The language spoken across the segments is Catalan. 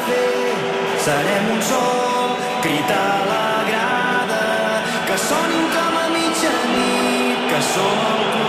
fer, serem un sol crit a la grada, que sonin com a mitjanit, que som el club.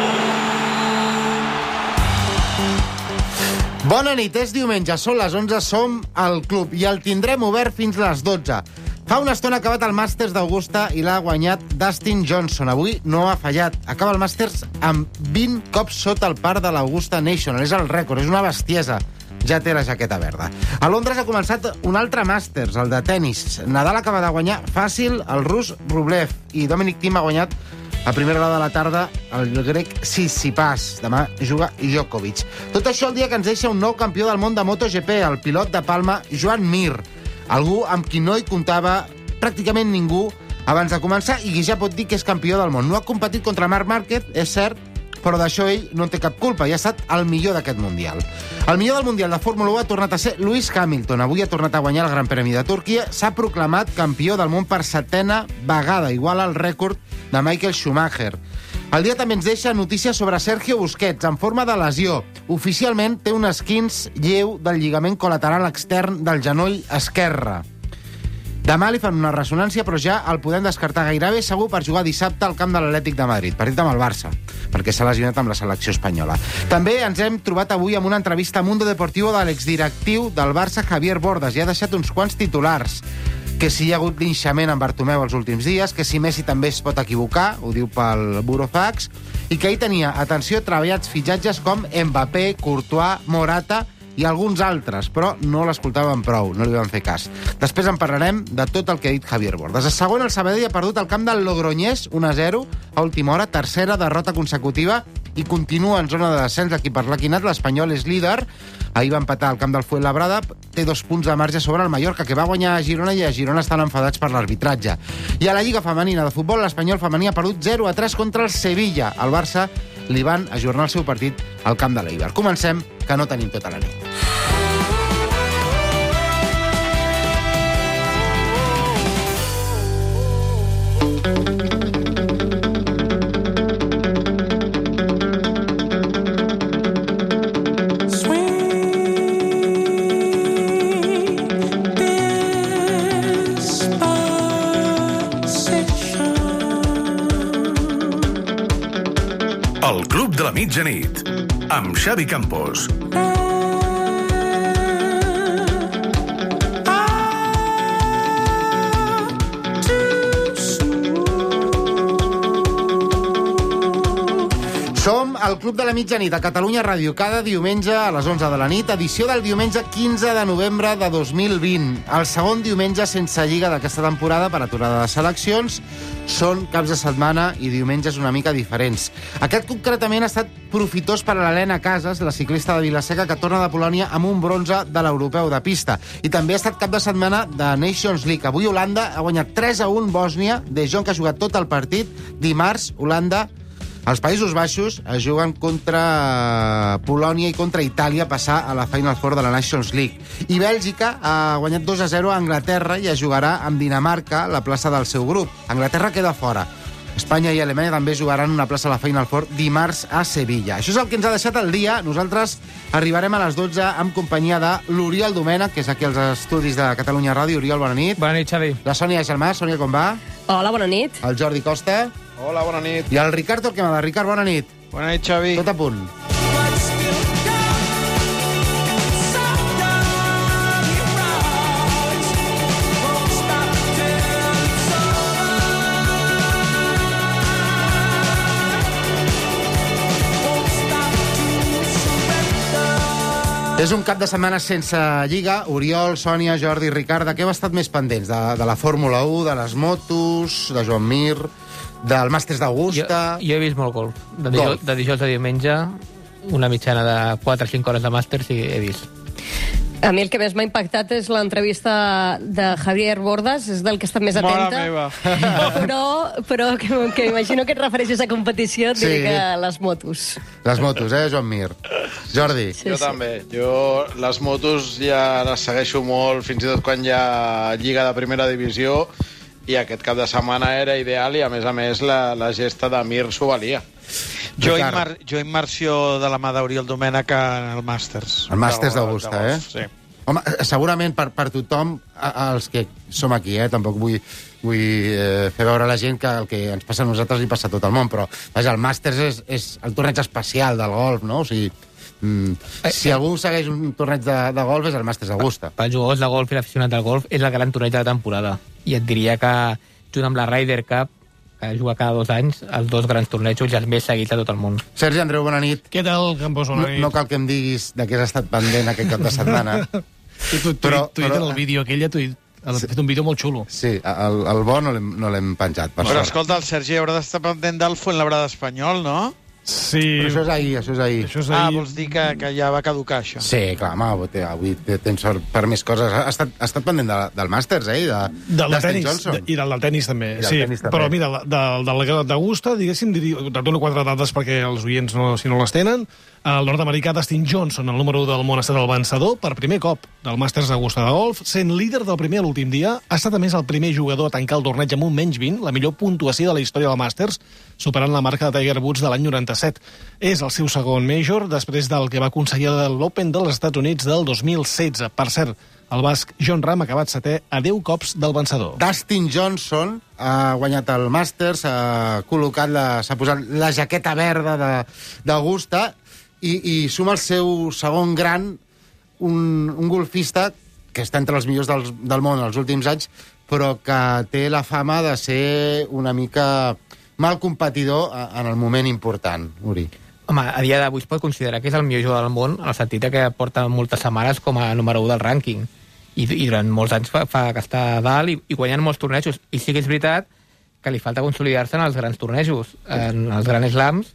Bona nit, és diumenge, són les 11, som al club i el tindrem obert fins les 12. Fa una estona ha acabat el Masters d'Augusta i l'ha guanyat Dustin Johnson. Avui no ha fallat. Acaba el Masters amb 20 cops sota el par de l'Augusta National. És el rècord, és una bestiesa. Ja té la jaqueta verda. A Londres ha començat un altre Masters, el de tennis. Nadal acaba de guanyar fàcil el rus Rublev i Dominic Thiem ha guanyat a primera hora de la tarda el grec Tsitsipas. Demà juga Djokovic. Tot això el dia que ens deixa un nou campió del món de MotoGP, el pilot de Palma, Joan Mir. Algú amb qui no hi comptava pràcticament ningú abans de començar i qui ja pot dir que és campió del món. No ha competit contra Marc Márquez, és cert, però d'això ell no en té cap culpa i ha estat el millor d'aquest Mundial. El millor del Mundial de Fórmula 1 ha tornat a ser Lewis Hamilton. Avui ha tornat a guanyar el Gran Premi de Turquia. S'ha proclamat campió del món per 7ª vegada, igual al rècord de Michael Schumacher. El dia també ens deixa notícies sobre Sergio Busquets, en forma de lesió. Oficialment té un esquinç lleu del lligament col·lateral extern del genoll esquerre. Demà li fan una ressonància, però ja el podem descartar gairebé segur per jugar dissabte al camp de l'Atlètic de Madrid, partit amb el Barça, perquè s'ha lesionat amb la selecció espanyola. També ens hem trobat avui amb una entrevista a Mundo Deportivo de l'exdirectiu del Barça, Javier Bordas, i ha deixat uns quants titulars. Que si hi ha hagut linxament amb Bartomeu els últims dies, que si Messi també es pot equivocar, ho diu pel Burofax, i que ell tenia, atenció, treballats fitxatges com Mbappé, Courtois, Morata i alguns altres, però no l'escoltaven prou, no li van fer cas. Després en parlarem de tot el que ha dit Javier Bordas. A segon, el Sabadell ha perdut el camp del Logroñés, 1-0, a última hora, tercera derrota consecutiva, i continua en zona de descens l'equip arlequinat. L'Espanyol és líder, ahir va empatar al camp del Fuenlabrada, té 2 punts de marge sobre el Mallorca, que va guanyar a Girona, i a Girona estan enfadats per l'arbitratge. I a la Lliga Femenina de Futbol, l'Espanyol femení ha perdut 0-3 contra el Sevilla. El Barça li van ajornar el seu partit al camp de l'Eibar. Comencem, que no tenim tota la nit. El Club de la Mitjanit, amb Xavi Campos. Som al Club de la Mitjanit a Catalunya Ràdio, cada diumenge a les 11 de la nit, edició del diumenge 15 de novembre de 2020. El segon diumenge sense lliga d'aquesta temporada per aturada de seleccions. Són caps de setmana i diumenges una mica diferents. Aquest concretament ha estat profitós per a l'Helena Casas, la ciclista de Vilaseca, que torna de Polònia amb un bronze de l'europeu de pista. I també ha estat cap de setmana de Nations League. Avui Holanda ha guanyat 3-1 Bòsnia, De Jong, que ha jugat tot el partit. Dimarts, Holanda, els Països Baixos, es juguen contra Polònia i contra Itàlia a passar a la Final Four de la Nations League. I Bèlgica ha guanyat 2-0 a Anglaterra i es jugarà amb Dinamarca la plaça del seu grup. Anglaterra queda fora. Espanya i Alemanya també jugaran una plaça a la Final Four dimarts a Sevilla. Això és el que ens ha deixat el dia. Nosaltres arribarem a les 12 amb companyia de l'Oriol Domènech, que és aquí als estudis de Catalunya Ràdio. Oriol, bona nit. Bona nit, Xavi. La Sònia Gelmà. Sònia, com va? Hola, bona nit. El Jordi Costa. Hola, bona nit. I el Ricard Torquemada. Ricard, bona nit. Bona nit, Xavi. Tot a punt. És un cap de setmana sense lliga. Oriol, Sònia, Jordi, Ricard, de què heu estat més pendents? De la Fórmula 1, de les motos, de Joan Mir, del Masters d'Augusta... Jo he vist molt golf. De dijous a diumenge, una mitjana de 4 o 5 hores de Masters i he vist. A mi el que més m'ha impactat és l'entrevista de Javier Bordas, és del que he estat més atenta. Però que imagino que et refereixes a competició, et diré que les motos. Les motos, Joan Mir? Jordi? Sí, jo també. Jo les motos ja les segueixo molt, fins i tot quan hi ha Lliga de Primera Divisió, i aquest cap de setmana era ideal i, a més, la gesta de Mir s'ho valia. Jo immersió de la mà d'Oriol Domènech al Màsters. El Màsters d'Augusta, Sí. Home, segurament per tothom, els que som aquí, tampoc vull fer veure a la gent que el que ens passa a nosaltres li passa a tot el món, però vaja, el Màsters és el torneig especial del golf, no? O sigui, si algú segueix un torneig de golf és el Màsters d'Augusta. Pels jugadors de golf i l'aficionat del golf és el gran torneig de la temporada. I et diria que, junt amb la Ryder Cup, que juga cada 2 anys, els 2 grans tornejos i els més seguits de tot el món. Sergi Andreu, bona nit. Què tal, Campos? Bona nit. No cal que em diguis de què has estat pendent aquest cap de setmana. Tu en el vídeo aquell, has fet un vídeo molt xulo. Sí, el bo no l'hem penjat. Però escolta, el Sergi haurà d'estar pendent del Fuenlabrada espanyol, no? Sí. Però això és ahir. Vols dir que ja va caducar, això? Sí, clar, home, avui tens sort per més coses. Ha estat pendent del Màsters, del tenis, i del tenis també. Sí, però mira, del d'Augusta, diguéssim, te dono 4 dades perquè els oients, si no les tenen. El nord-americà Dustin Johnson, el número 1 del món, ha estat el vencedor per primer cop del Màsters d'Augusta de golf, sent líder del primer a l'últim dia. Ha estat, a més, el primer jugador a tancar el torneig amb un menys 20, la millor puntuació de la història del Màsters, superant la marca de Tiger Woods de l'any 97. És el seu segon major, després del que va aconseguir l'Open dels Estats Units del 2016. Per cert, el basc Jon Rahm ha acabat 7è a 10 cops del vencedor. Dustin Johnson ha guanyat el Màsters, s'ha posat la jaqueta verda d'Augusta i suma el seu segon gran, un golfista que està entre els millors del món els últims anys, però que té la fama de ser una mica mal competidor en el moment important, Uri. Home, a dia d'avui es pot considerar que és el millor jugador del món, en el sentit que porta moltes setmanes com a número 1 del rànquing. I durant molts anys fa que està a dalt i guanyant molts tornejos. I sí que és veritat que li falta consolidar-se en els grans tornejos, en els grans slams.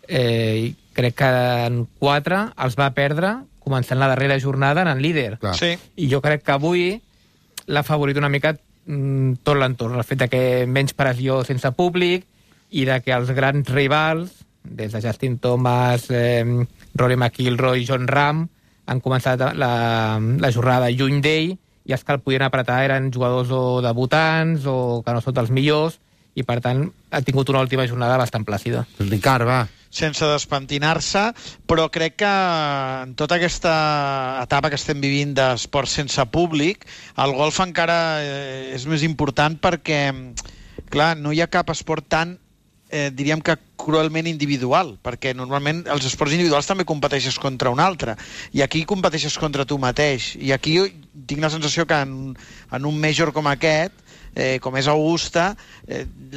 Crec que en 4 els va perdre començant la darrera jornada en el líder. Sí. I jo crec que avui l'ha favorit una mica tot l'entorn, el fet que menys pressió sense públic i de que els grans rivals, des de Justin Thomas, Rory McIlroy, Jon Rahm, han començat la jornada lluny d'ell i els que el podien apretar eren jugadors o debutants o que no són dels millors i, per tant, ha tingut una última jornada bastant plàcida. Ricard, va. Sense despentinar-se, però crec que en tota aquesta etapa que estem vivint d'esport sense públic, el golf encara és més important perquè, clar, no hi ha cap esport tan, diríem que cruelment individual, perquè normalment els esports individuals també competeixes contra un altre, i aquí competeixes contra tu mateix, i aquí tinc la sensació que en un major com aquest, com és Augusta,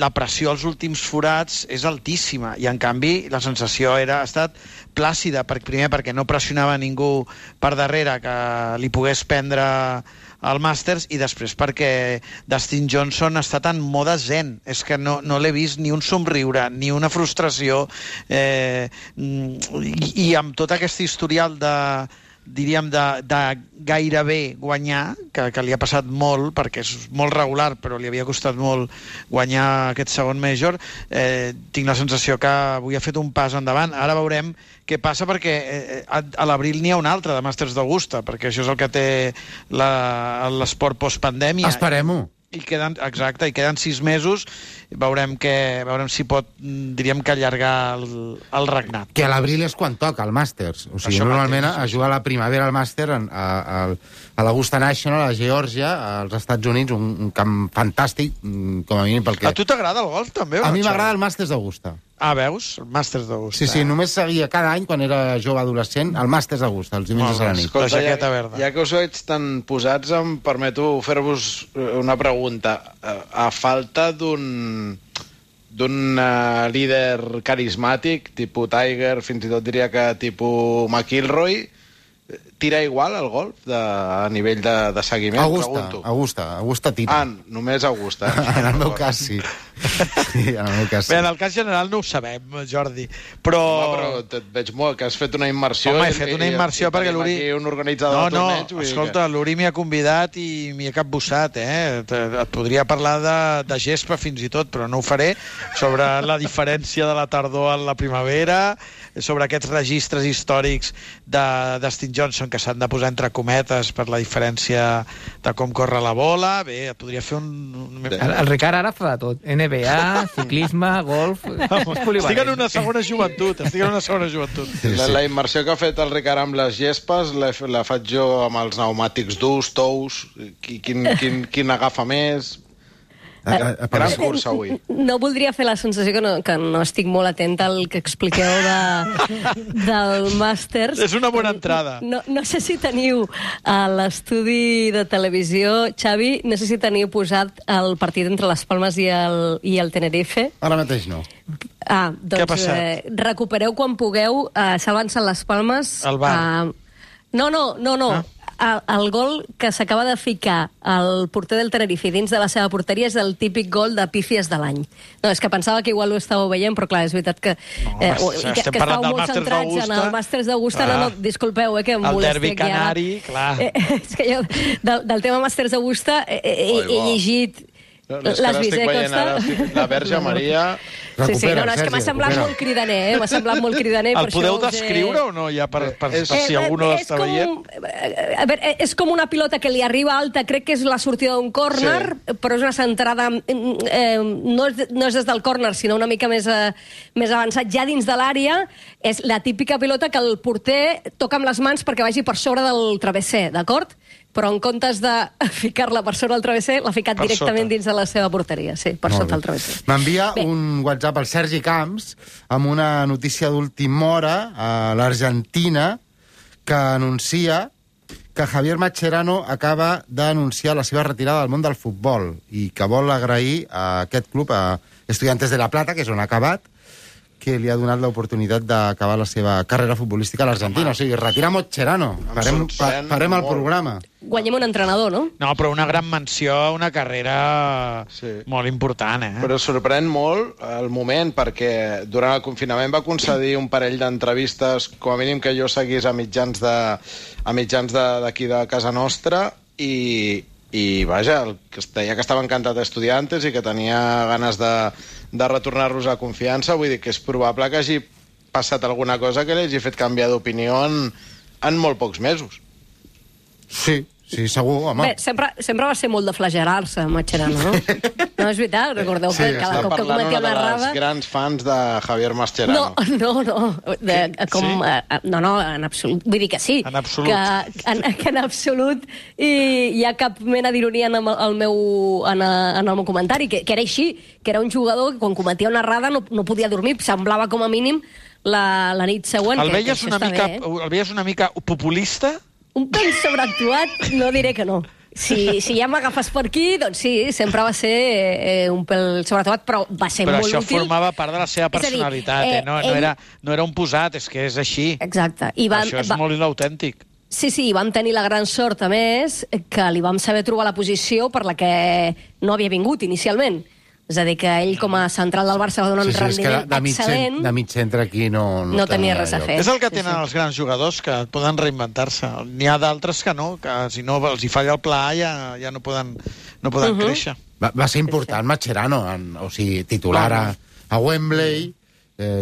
la pressió als últims forats és altíssima i en canvi la sensació ha estat plàcida, primer perquè no pressionava ningú per darrere que li pogués prendre el Màsters i després perquè Dustin Johnson ha estat en mode zen, és que no l'he vist ni un somriure, ni una frustració i amb tot aquest historial diríem de gairebé guanyar, que li ha passat molt perquè és molt regular però li havia costat molt guanyar aquest segon major, tinc la sensació que avui ha fet un pas endavant. Ara veurem què passa perquè a l'abril n'hi ha un altre de Màsters d'Augusta, perquè això és el que té l'esport postpandèmia. Esperem-ho. I queden 6 mesos, veurem si pot, diríem que allargar el regnat. Que a l'abril és quan toca el Màsters. O sigui, normalment a jugar a la primavera al Màster a l'Augusta National, a Geòrgia, als Estats Units, un camp fantàstic, com a mínim pel que... A tu t'agrada el golf, també? A mi m'agrada el Màsters d'Augusta. Ah, veus? El Màsters d'Augusta. Sí, només seguia cada any, quan era jove adolescent, el Màsters d'Augusta, els diumenges a la nit. Escolta, la jaqueta verda. Ja que us veig tan posats, em permeto fer-vos una pregunta. A falta d'un líder carismàtic, tipus Tiger, fins i tot diria que tipus McIlroy, tira igual el golf a nivell de seguiment? Augusta tira. Ah, només Augusta. En el meu cas, sí. Bé, en el cas general no ho sabem, Jordi, però... Home, però et veig molt, que has fet una immersió... Home, he fet una immersió perquè l'Uri... Un organitzador de torneig... No, escolta, l'Uri m'hi ha convidat i m'hi ha capbussat, Et podria parlar de gespa fins i tot, però no ho faré, sobre la diferència de la tardor a la primavera, sobre aquests registres històrics de Dustin Johnson que s'han de posar entre cometes per la diferència de com corre la bola. Bé, podria fer un... El Ricard ara fa de tot. NBA, ciclisme, golf... Estic en una segona joventut. La immersió que ha fet el Ricard amb les gespes la faig jo amb els pneumàtics durs, tous, quin agafa més... Gran cursa avui. No voldria fer la sensació que no estic molt atenta al que expliqueu del Masters. És una bona entrada. No sé si teniu a l'estudi de televisió, Xavi, no sé si teniu posat el partit entre les Palmes i el Tenerife. Ara mateix no. Doncs recupereu quan pugueu, salvant-se les Palmes. El bar. No. El gol que s'acaba de ficar el porter del Tenerife dins de la seva porteria és el típic gol de pífies de l'any. No, és que pensava que igual ho estàveu veient, però clar, és veritat que estàveu molt centrats en el Masters d'Augusta. No, disculpeu, que em molesti. El derbi canari, clar. És que jo, del tema Masters d'Augusta, he llegit les Visecosta. La Verge Maria... Sí, no, és que m'ha semblat molt cridaner, M'ha semblat molt cridaner. El podeu descriure o no, ja per si algú no l'està veient? A veure, és com una pilota que li arriba alta, crec que és la sortida d'un córner, però és una centrada... No és des del córner, sinó una mica més avançat, ja dins de l'àrea. És la típica pilota que el porter toca amb les mans perquè vagi per sobre del travesser, d'acord? Però en comptes de ficar-la per sobre del travesser, l'ha ficat directament dins de la seva porteria. Sí, per sota el travesser. M'envia un WhatsApp al Sergi Camps amb una notícia d'última hora a l'Argentina que anuncia que Javier Mascherano acaba d'anunciar la seva retirada del món del futbol i que vol agrair a aquest club, a Estudiantes de La Plata, que és on ha acabat, que li ha donat l'oportunitat d'acabar la seva carrera futbolística a l'Argentina. O sigui, retira Mascherano. Farem el programa. Guanyem un entrenador, no? No, però una gran menció, una carrera molt important, Però sorprèn molt el moment, perquè durant el confinament va concedir un parell d'entrevistes, com a mínim que jo seguís a mitjans d'aquí de casa nostra, i vaja, que deia que estava encantat d'Estudiantes i que tenia ganes de retornar-los a confiança. Vull dir que és probable que hagi passat alguna cosa que li hagi fet canviar d'opinió en molt pocs mesos. Sí, segur, home. Bé, sempre va ser molt de flagel·lar-se, Mascherano, no? No és veritat, recordeu que cada cop que cometia una errada... Està parlant grans fans de Javier Mascherano. No, en absolut. Vull dir que sí. En absolut. Que en absolut hi ha cap mena d'ironia en el meu comentari, que era així, que era un jugador que quan cometia una errada no podia dormir, semblava com a mínim la nit següent. El veies una mica populista? Un pèl sobreactuat, no diré que no. Si ja m'agafes per aquí, doncs sí, sempre va ser un pèl sobreactuat, però va ser molt útil. Però això formava part de la seva personalitat, no era un posat, és que és així. Exacte. Això és molt inautèntic. Sí, i vam tenir la gran sort, a més, que li vam saber trobar la posició per la que no havia vingut inicialment. És a dir, que ell com a central del Barça va donar un rendiment excel·lent. De mig centre aquí no tenia res a fer. És el que tenen els grans jugadors, que poden reinventar-se. N'hi ha d'altres que no, que si no els hi falla el pla ja no poden créixer. Va ser important Mascherano, o sigui, titular a Wembley,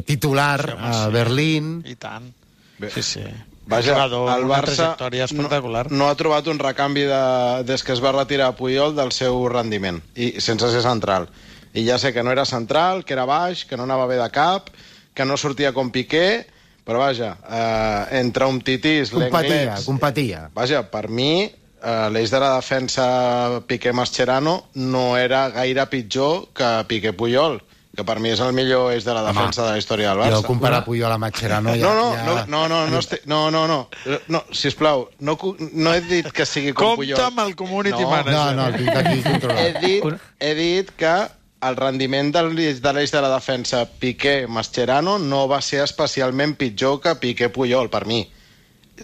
titular a Berlín... I tant. Sí. Vaja, el Barça no ha trobat un recanvi des que es va retirar Puyol del seu rendiment, i sense ser central. I ja sé que no era central, que era baix, que no anava bé de cap, que no sortia com Piqué, però vaja, entre un titís, l'Englets... Competia. Vaja, per mi, l'eix de la defensa Piqué-Mascherano no era gaire pitjor que Piqué-Puyol, que per mi és el millor eix de la defensa de la història del Barça. Jo comparar Puyol a Mascherano No, sisplau, no he dit que sigui com Puyol. Compte amb el community manager. No, el tinc aquí controlat. He dit que el rendiment de l'eix de la defensa Piqué-Mascherano no va ser especialment pitjor que Piqué-Puyol, per mi.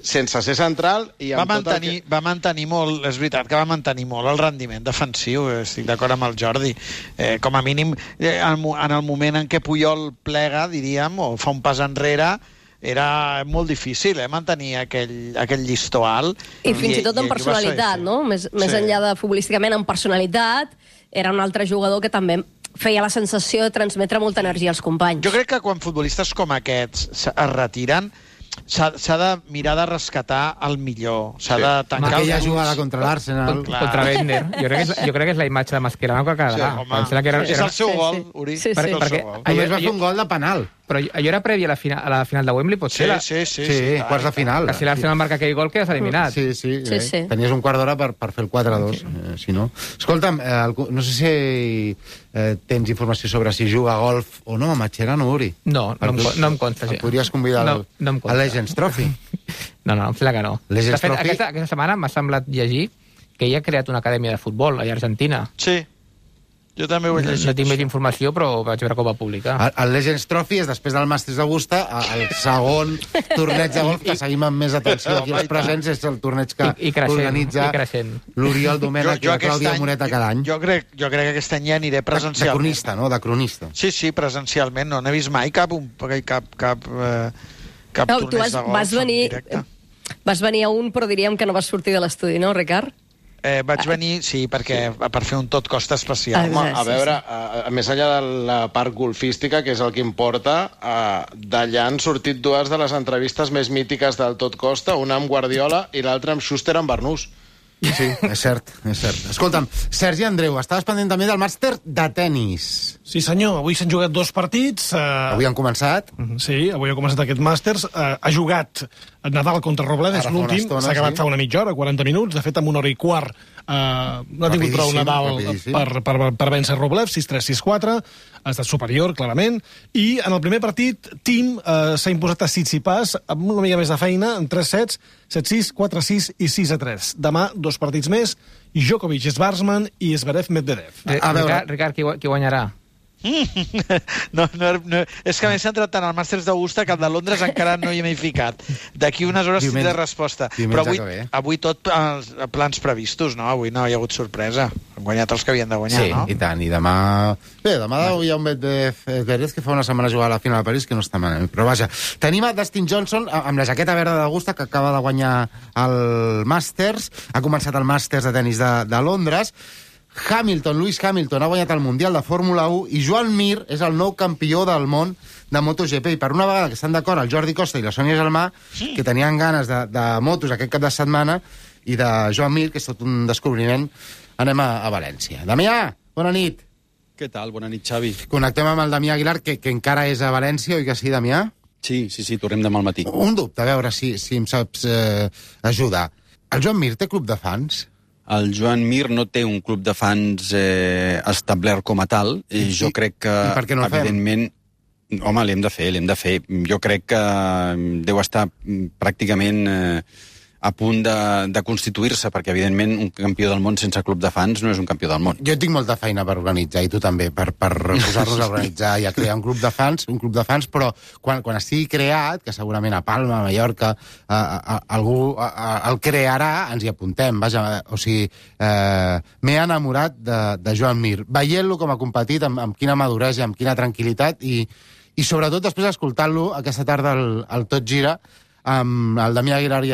Sense ser central i amb va mantenir molt, és veritat que va mantenir molt el rendiment defensiu, estic d'acord amb el Jordi. Com a mínim, en el moment en què Puyol plega, diríem, o fa un pas enrere, era molt difícil mantenir aquell llistó alt. I fins i tot en personalitat, no? Més enllà de futbolísticament, en personalitat, era un altre jugador que també feia la sensació de transmetre molta energia als companys. Jo crec que quan futbolistes com aquests es retiren, s'ha de mirar de rescatar el millor. S'ha de tancar aquella jugada contra l'Arsenal. Contra Bender. Jo crec que és la imatge de Mascherano que quedarà. És el seu gol, Uri. Només va fer un gol de penal. Però allò era previ a la final de Wembley, potser? Sí, quarts de final. Que si l'Arsenal marca aquell gol, quedes eliminat. Sí. Tenies un quart d'hora per fer el 4-2, si no. Escolta'm, no sé si tens informació sobre si juga a golf o no, a Mascherano, Uri. No em consta. El podries convidar a Legends Trophy. No, em sembla que no. De fet, aquesta setmana m'ha semblat llegir que ell ha creat una acadèmia de futbol allà a Argentina. Sí. Jo també ho he llegit. No tinc més informació, però vaig veure com va publicar. El Legends Trophy és, després del Masters d'Augusta, el segon torneig de golf que seguim amb més atenció aquí als presents, és el torneig que organitza l'Oriol Domènech i la Clàudia Moreta cada any. Jo crec que aquest any ja aniré presencialment. De cronista, no? De cronista. Sí, presencialment. No n'he vist mai cap torneig de golf en directe. Vas venir a un, però diríem que no vas sortir de l'estudi, no, Ricard? Vaig venir, per fer un tot costa especial. Home, a veure, més enllà de la part golfística, que és el que importa, d'allà han sortit dues de les entrevistes més mítiques del tot costa, una amb Guardiola i l'altra amb Schuster amb Bernús. Sí, és cert. Escolta'm, Sergi Andreu, estaves pendent també del màster de tennis. Sí, senyor, avui s'han jugat 2 partits. Avui han començat? Sí, avui ha començat aquest màsters. Ha jugat Nadal contra Roblev, és l'últim. S'ha acabat fa una mitja hora, 40 minuts. De fet, en una hora i quart no ha tingut prou Nadal per vèncer Roblev, 6-3, 6-4. Ha estat superior, clarament. I en el primer partit, Thiem s'ha imposat a Tsitsipas amb una mica més de feina, en 3 sets, 7-6, 4-6 i 6-3. Demà, 2 partits més, Djokovic, Schwarzman i Zverev, Medvedev. Ricard, qui guanyarà? No, és que m'he centrat tant al Màsters d'Augusta que el de Londres encara no hi m'he ficat. D'aquí unes hores tindré resposta. Però avui tot els plans previstos, no? Avui no hi ha hagut sorpresa. Han guanyat els que havien de guanyar, no? Sí, i tant. I demà... Bé, demà hi ha un Medvedev que fa una setmana jugar a la final de París que no està malament. Però vaja, tenim a Dustin Johnson amb la jaqueta verda d'Augusta que acaba de guanyar el Màsters. Ha començat el Màsters de tenis de Londres. Lewis Hamilton ha guanyat el Mundial de Fórmula 1 i Joan Mir és el nou campió del món de MotoGP. I per una vegada que estan d'acord el Jordi Costa i la Sònia Gelmà, que tenien ganes de motos aquest cap de setmana, i de Joan Mir, que és tot un descobriment, anem a València. Damià, bona nit. Què tal? Bona nit, Xavi. Connectem amb el Damià Aguilar, que encara és a València, oi que sí, Damià? Sí, tornem demà al matí. Un dubte, a veure si em saps ajudar. El Joan Mir té club de fans? El Joan Mir no té un club de fans establert com a tal. Jo crec que, evidentment... Home, l'hem de fer. Jo crec que deu estar pràcticament a punt de constituir-se, perquè, evidentment, un campió del món sense club de fans no és un campió del món. Jo tinc molta feina per organitzar, i tu també, per posar-nos a organitzar i a crear un club de fans, però quan estigui creat, que segurament a Palma, a Mallorca, algú el crearà, ens hi apuntem. Vaja, o sigui, m'he enamorat de Joan Mir, veient-lo com ha competit, amb quina maduresa, amb quina tranquil·litat, i sobretot després escoltant-lo aquesta tarda al Tot Gira, amb el Damià Aguilar i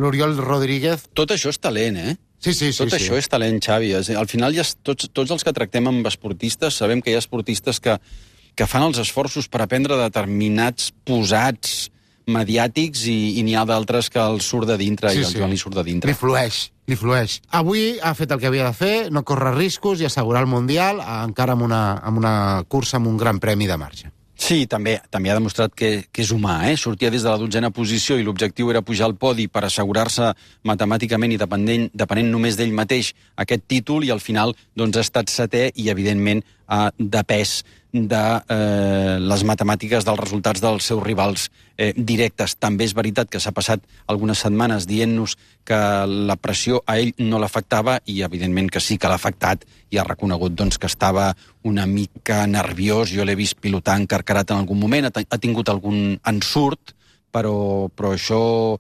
l'Oriol Rodríguez. Tot això és talent, eh? Sí. Tot això és talent, Xavi. Al final, tots els que tractem amb esportistes, sabem que hi ha esportistes que fan els esforços per aprendre determinats posats mediàtics i n'hi ha d'altres que els surt de dintre, i el Joan li surt de dintre. Li flueix. Avui ha fet el que havia de fer, no córrer riscos i assegurar el Mundial, encara amb una cursa amb un gran premi de marge. Sí, també ha demostrat que és humà, Sortia des de la 12a posició i l'objectiu era pujar al podi per assegurar-se matemàticament i depenent només d'ell mateix aquest títol, i al final ha estat setè i, evidentment, ha depès de les matemàtiques dels resultats dels seus rivals directes. També és veritat que s'ha passat algunes setmanes dient-nos que la pressió a ell no l'afectava, i evidentment que sí que l'ha afectat, i ha reconegut que estava una mica nerviós. Jo l'he vist pilotar encarcarat en algun moment, ha tingut algun ensurt, però això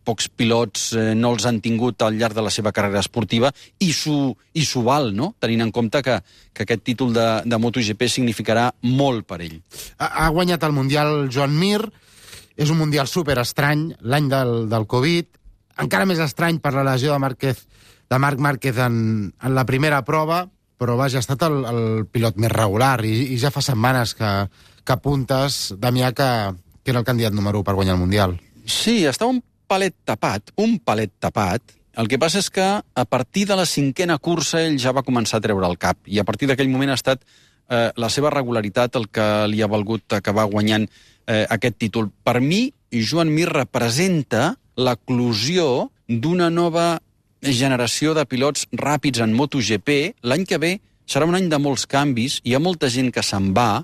pocs pilots no els han tingut al llarg de la seva carrera esportiva, i s'ho val, no? Tenint en compte que aquest títol de MotoGP significarà molt per ell. Ha guanyat el Mundial Joan Mir, és un Mundial superestrany, l'any del Covid, encara més estrany per la lesió de Marc Márquez en la primera prova. però vaja, ha estat el pilot més regular i ja fa setmanes que apuntes, Damià, que era el candidat número 1 per guanyar el Mundial. Sí, està un palet tapat. El que passa és que a partir de la 5a cursa ell ja va començar a treure el cap i a partir d'aquell moment ha estat la seva regularitat el que li ha valgut acabar guanyant aquest títol. Per mi, Joan Mir representa l'eclosió d'una nova generació de pilots ràpids en MotoGP. L'any que ve serà un any de molts canvis, hi ha molta gent que se'n va,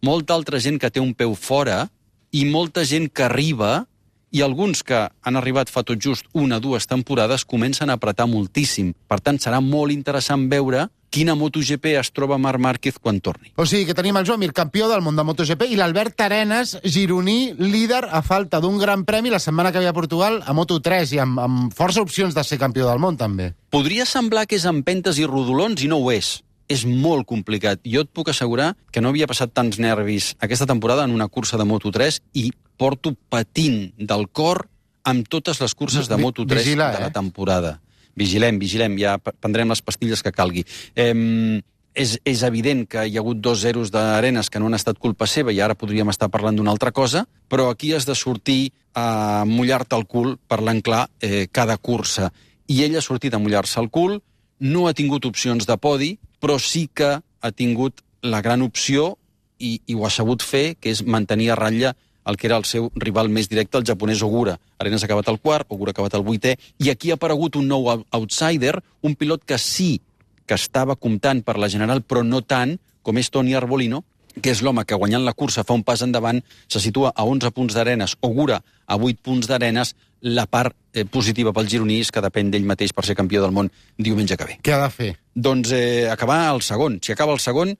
molta altra gent que té un peu fora i molta gent que arriba, i alguns que han arribat fa tot just 1 o 2 temporades comencen a apretar moltíssim. Per tant, serà molt interessant veure quina MotoGP es troba Marc Márquez quan torni. O sigui que tenim el Joan Mir, campió del món de MotoGP, i l'Albert Arenas, gironí, líder a falta d'un gran premi la setmana que ve a Portugal a Moto3 i amb força opcions de ser campió del món, també. Podria semblar que és empentes i rodolons i no ho és. És molt complicat. Jo et puc assegurar que no havia passat tants nervis aquesta temporada en una cursa de Moto3 i porto patint del cor amb totes les curses de Moto3 de la temporada. Vigilem, ja prendrem les pastilles que calgui. És evident que hi ha hagut 2 zeros d'Arenas que no han estat culpa seva i ara podríem estar parlant d'una altra cosa, però aquí has de sortir a mullar-te el cul, parlant clar, cada cursa. I ell ha sortit a mullar-se el cul, no ha tingut opcions de podi, però sí que ha tingut la gran opció, i ho ha sabut fer, que és mantenir a ratlla el que era el seu rival més directe, el japonès Ogura. Arenas ha acabat el 4, Ogura ha acabat el 8è, i aquí ha aparegut un nou outsider, un pilot que sí que estava comptant per la general, però no tant, com és Toni Arbolino, que és l'home que guanyant la cursa fa un pas endavant, se situa a 11 punts d'Arenas, Ogura a 8 punts d'Arenas. La part positiva pel gironí és que depèn d'ell mateix per ser campió del món diumenge que ve. Què ha de fer? Doncs acabar el segon. Si acaba el segon,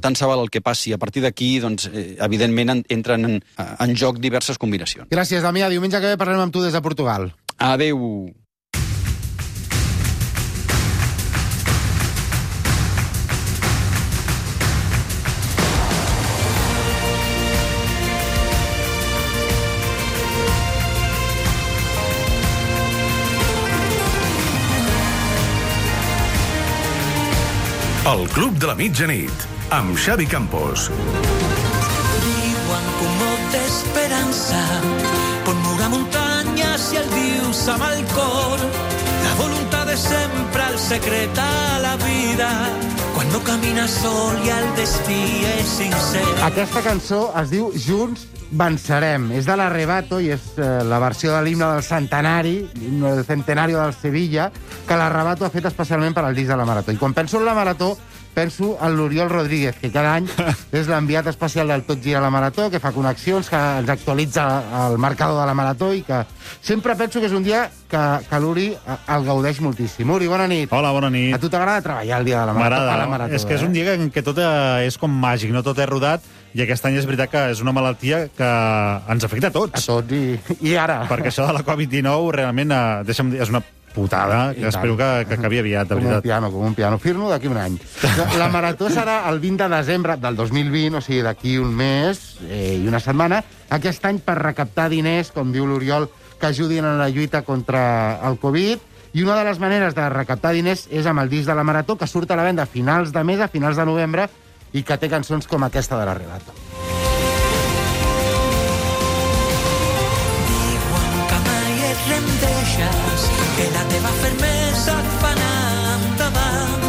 tant se val el que passi. A partir d'aquí, doncs, evidentment, entren en joc diverses combinacions. Gràcies, Damià. Diumenge que ve parlem amb tu des de Portugal. Adéu. El Club de la Mitjanit, amb Xavi Campos. Diuen con molta esperança, pot moure muntanyes i el dius amb el cor. La voluntat és sempre el secret a la vida, quan no camines sol i el destí és sincer. Aquesta cançó es diu Junts vencerem. És de l'Arrebato i és la versió de l'himne del centenari, l'himne del centenario del Sevilla, que l'Arrebato ha fet especialment per al disc de la Marató. I quan penso en la Marató, penso en l'Oriol Rodríguez, que cada any és l'enviat especial del Tot gira la Marató, que fa connexions, que ens actualitza el marcador de la Marató i que sempre penso que és un dia que l'Uri el gaudeix moltíssim. Uri, bona nit. Hola, bona nit. A tu t'agrada treballar el dia de la Marató? M'agrada. És que és un dia en què tot és com màgic, no tot és rodat, i aquest any és veritat que és una malaltia que ens afecta a tots. A tots, i ara. Perquè això de la Covid-19 realment és una putada, que espero que acabi aviat, de veritat. Com un piano. Fir-no d'aquí un any. La Marató serà el 20 de desembre del 2020, o sigui, d'aquí un mes i una setmana, aquest any per recaptar diners, com diu l'Oriol, que ajudin en la lluita contra el Covid, i una de les maneres de recaptar diners és amb el disc de la Marató, que surt a la venda a finals de mes, a finals de novembre, i que té cançons com aquesta de l'Arrebato. Diuen que mai et rendeixes, que la teva fermesa et fa anar endavant.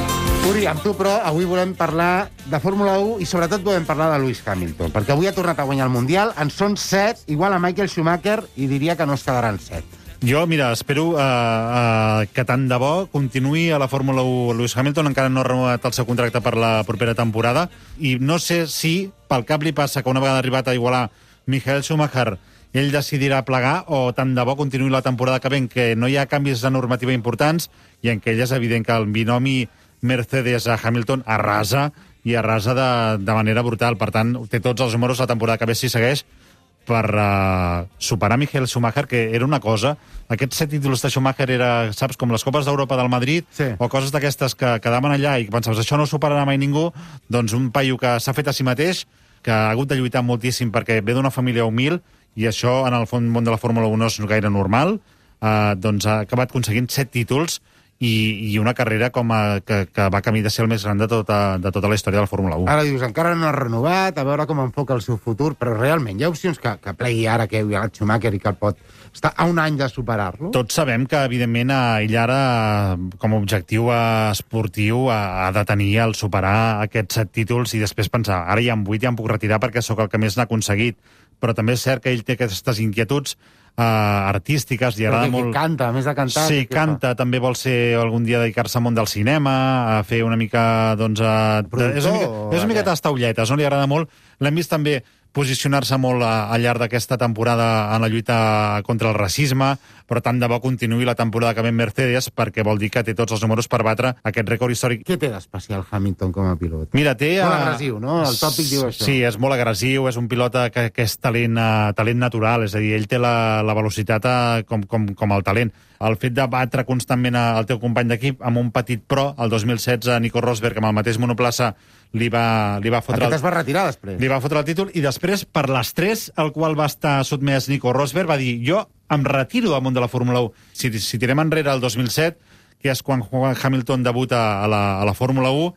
Uri, amb tu, però, avui volem parlar de Fórmula 1 i sobretot volem parlar de Lewis Hamilton, perquè avui ha tornat a guanyar el Mundial, en són 7, igual a Michael Schumacher, i diria que no es quedaran 7. Jo, mira, espero que tant de bo continuï a la Fórmula 1 Lewis Hamilton, encara no ha renovat el seu contracte per la propera temporada, i no sé si pel cap li passa que una vegada arribat a igualar Michael Schumacher ell decidirà plegar, o tant de bo continuï la temporada que ve en què no hi ha canvis de normativa importants i en què ell és evident que el binomi Mercedes a Hamilton arrasa, i arrasa de manera brutal. Per tant, té tots els números la temporada que ve si segueix per superar Michael Schumacher, que era una cosa. Aquests 7 títols de Schumacher era, saps, com les Copes d'Europa del Madrid, sí, o coses d'aquestes que quedaven allà i que pensaves, això no ho superarà mai ningú. Doncs un paio que s'ha fet a si mateix, que ha hagut de lluitar moltíssim perquè ve d'una família humil, i això en el món de la Fórmula 1 no és gaire normal, doncs ha acabat aconseguint 7 títols, i una carrera que va camí de ser el més gran de tota la història de la Fórmula 1. Ara dius, encara no ha renovat, a veure com enfoca el seu futur, però realment hi ha opcions que plegui ara que hi ha el Schumacher i que el pot estar a un any de superar-lo? Tots sabem que, evidentment, ell ara, com a objectiu esportiu, ha de tenir el superar aquests 7 títols i després pensar, ara hi ha 8, ja em puc retirar perquè sóc el que més n'ha aconseguit. Però també és cert que ell té aquestes inquietuds artístiques, li agrada molt... Canta, a més de cantar... Sí, canta, també vol ser algun dia dedicar-se al món del cinema, a fer una mica, doncs... És una mica tastaulletes, no? Li agrada molt. L'hem vist també posicionar-se molt al llarg d'aquesta temporada en la lluita contra el racisme, però tant de bo continuï la temporada que ve Mercedes, perquè vol dir que té tots els números per batre aquest rècord històric. Què té d'especial Hamilton com a pilot? Mira, té... Molt agressiu, no? El tòpic diu això. Sí, és molt agressiu, és un pilot que és talent natural, és a dir, ell té la velocitat com el talent. El fet de batre constantment el teu company d'equip amb un petit pro, el 2016 Nico Rosberg amb el mateix monoplaça li va fotre... Aquest es va retirar després. Li va fotre el títol i després, per l'estrès al qual va estar sotmès Nico Rosberg, va dir, jo em retiro del món de la Fórmula 1. Si tirem enrere el 2007, que és quan Hamilton debuta a la Fórmula 1,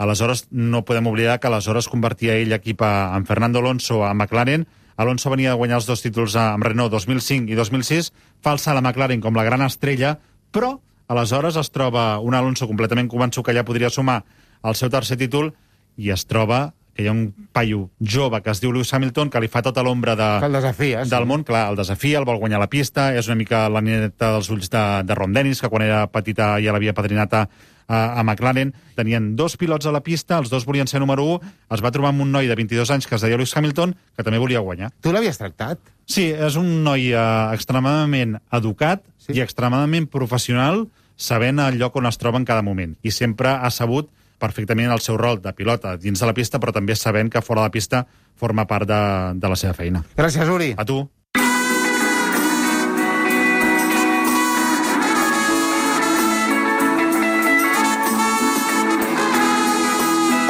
aleshores no podem oblidar que aleshores convertia ell equip en Fernando Alonso a McLaren. Alonso venia de guanyar els 2 títols amb Renault 2005 i 2006, fa el salt a McLaren com la gran estrella, però aleshores es troba un Alonso completament convençut que ja podria sumar el seu tercer títol i es troba que hi ha un paio jove que es diu Lewis Hamilton que li fa tota l'ombra del món. Clar, el desafia, el vol guanyar la pista, és una mica la nineta dels ulls de Ron Dennis, que quan era petita ja l'havia padrinat a McLaren. Tenien 2 pilots a la pista, els 2 volien ser número 1, es va trobar amb un noi de 22 anys que es deia Lewis Hamilton, que també volia guanyar. Tu l'havies tractat? Sí, és un noi extremadament educat i extremadament professional, sabent el lloc on es troba en cada moment. I sempre ha sabut perfectament el seu rol de pilota dins de la pista, però també sabent que fora de la pista forma part de la seva feina. Gràcies, Uri. A tu.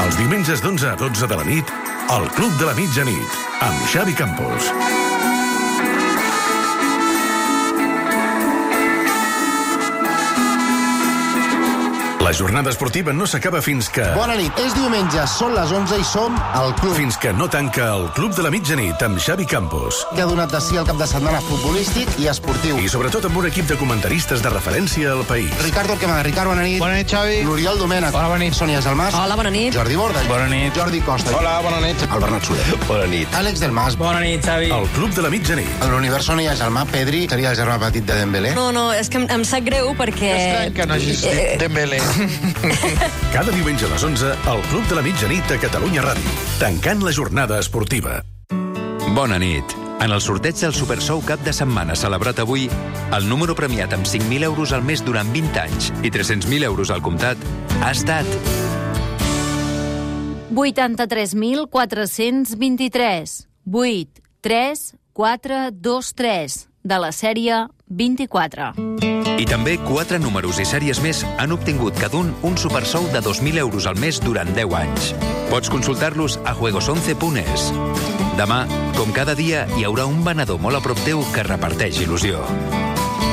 Els diumenges d'11 a 12 de la nit, al Club de la Mitjanit, amb Xavi Campos. La jornada esportiva no s'acaba fins que... Bona nit, és diumenge, són les 11 i som al club. Fins que no tanca el Club de la Mitjanit amb Xavi Campos. Que ha donat de si el cap de setmana futbolístic i esportiu. I sobretot amb un equip de comentaristes de referència al país. Ricardo Arquemada. Ricard, bona nit. Bona nit, Xavi. L'Oriol Domènech. Hola, bona nit. Sònia Gelmàs. Hola, bona nit. Jordi Borda. Bona nit. Jordi Costa. Hola, bona nit. El Bernat Soler. Bona nit. Àlex del Mas. Bona nit, Xavi. El Club de la Mitjanit. A l'univers on hi ha Gelmà, Pedri seria el germà petit de Dembélé. No, és que em sap greu perquè... Estrany que no hagis dit Dembélé. Cada diumenge a les 11, al Club de la Mitjanit a Catalunya Ràdio. Tancant la jornada esportiva. Bona nit. En el sorteig del Super Sou cap de setmana celebrat avui, el número premiat amb 5.000 euros al mes durant 20 anys i 300.000 euros al comptat ha estat... 83.423. 8, 3, 4, 2, 3. De la sèrie 24. I també 4 números i sèries més han obtingut cada un supersou de 2.000 euros al mes durant 10 anys. Pots consultar-los a juegos11.es. Demà, com cada dia, hi haurà un venedor molt a prop teu que reparteix il·lusió.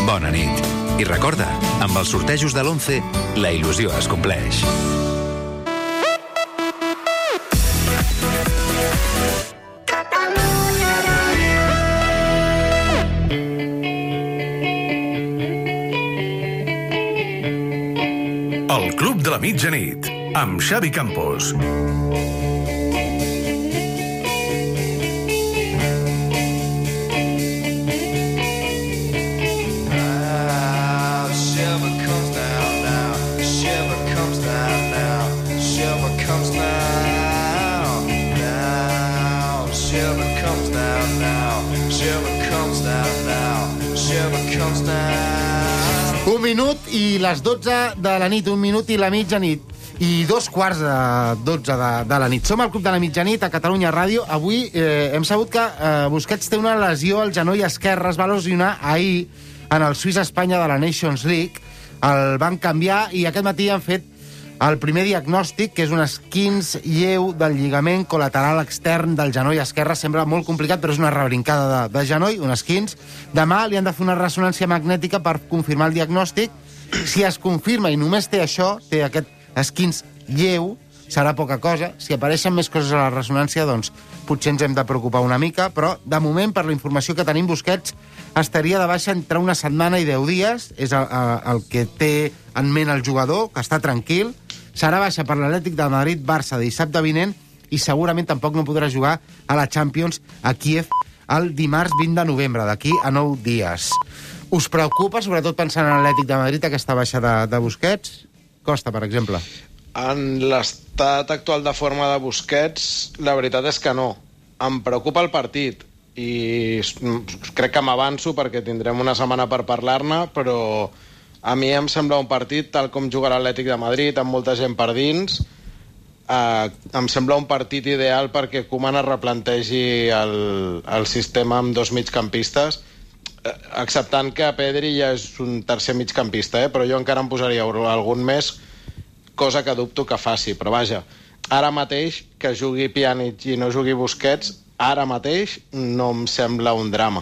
Bona nit. I recorda, amb els sortejos de l'11, la il·lusió es compleix. El Club de la Mitjanit, amb Xavi Campos. Un minut i les 12 de la nit, un minut i la mitjanit. I 2 quarts de 12 de la nit. Som al Club de la Mitjanit a Catalunya Ràdio. Avui hem sabut que Busquets té una lesió al genoll esquerre. Es va lesionar ahir en el Suïssa-Espanya de la Nations League. El van canviar i aquest matí han fet el primer diagnòstic, que és un esquinç lleu del lligament col·lateral extern del genoll esquerre. Sembla molt complicat, però és una rebrincada de genoll, un esquinç. Demà li han de fer una ressonància magnètica per confirmar el diagnòstic Si es confirma i només té això, té aquest esquins lleu, serà poca cosa. Si apareixen més coses a la ressonància, doncs potser ens hem de preocupar una mica, però de moment, per la informació que tenim, Busquets estaria de baixa entre una setmana i 10 dies, és el que té en ment el jugador, que està tranquil. Serà baixa per l'Atlètic de Madrid, Barça, dissabte vinent, i segurament tampoc no podrà jugar a la Champions a Kíev el dimarts 20 de novembre, d'aquí a 9 dies. Us preocupa, sobretot pensant en l'Atlètic de Madrid, aquesta baixa de Busquets? Costa, per exemple. En l'estat actual de forma de Busquets, la veritat és que no. Em preocupa el partit i crec que m'avanço perquè tindrem una setmana per parlar-ne, però a mi em sembla un partit, tal com juga l'Atlètic de Madrid, amb molta gent per dins, em sembla un partit ideal perquè Koeman es replantegi el sistema amb dos migcampistes, acceptant que Pedri ja és un tercer migcampista, però jo encara em posaria algun més, cosa que dubto que faci, però vaja, ara mateix que jugui Pjanic i no jugui Busquets, ara mateix no em sembla un drama.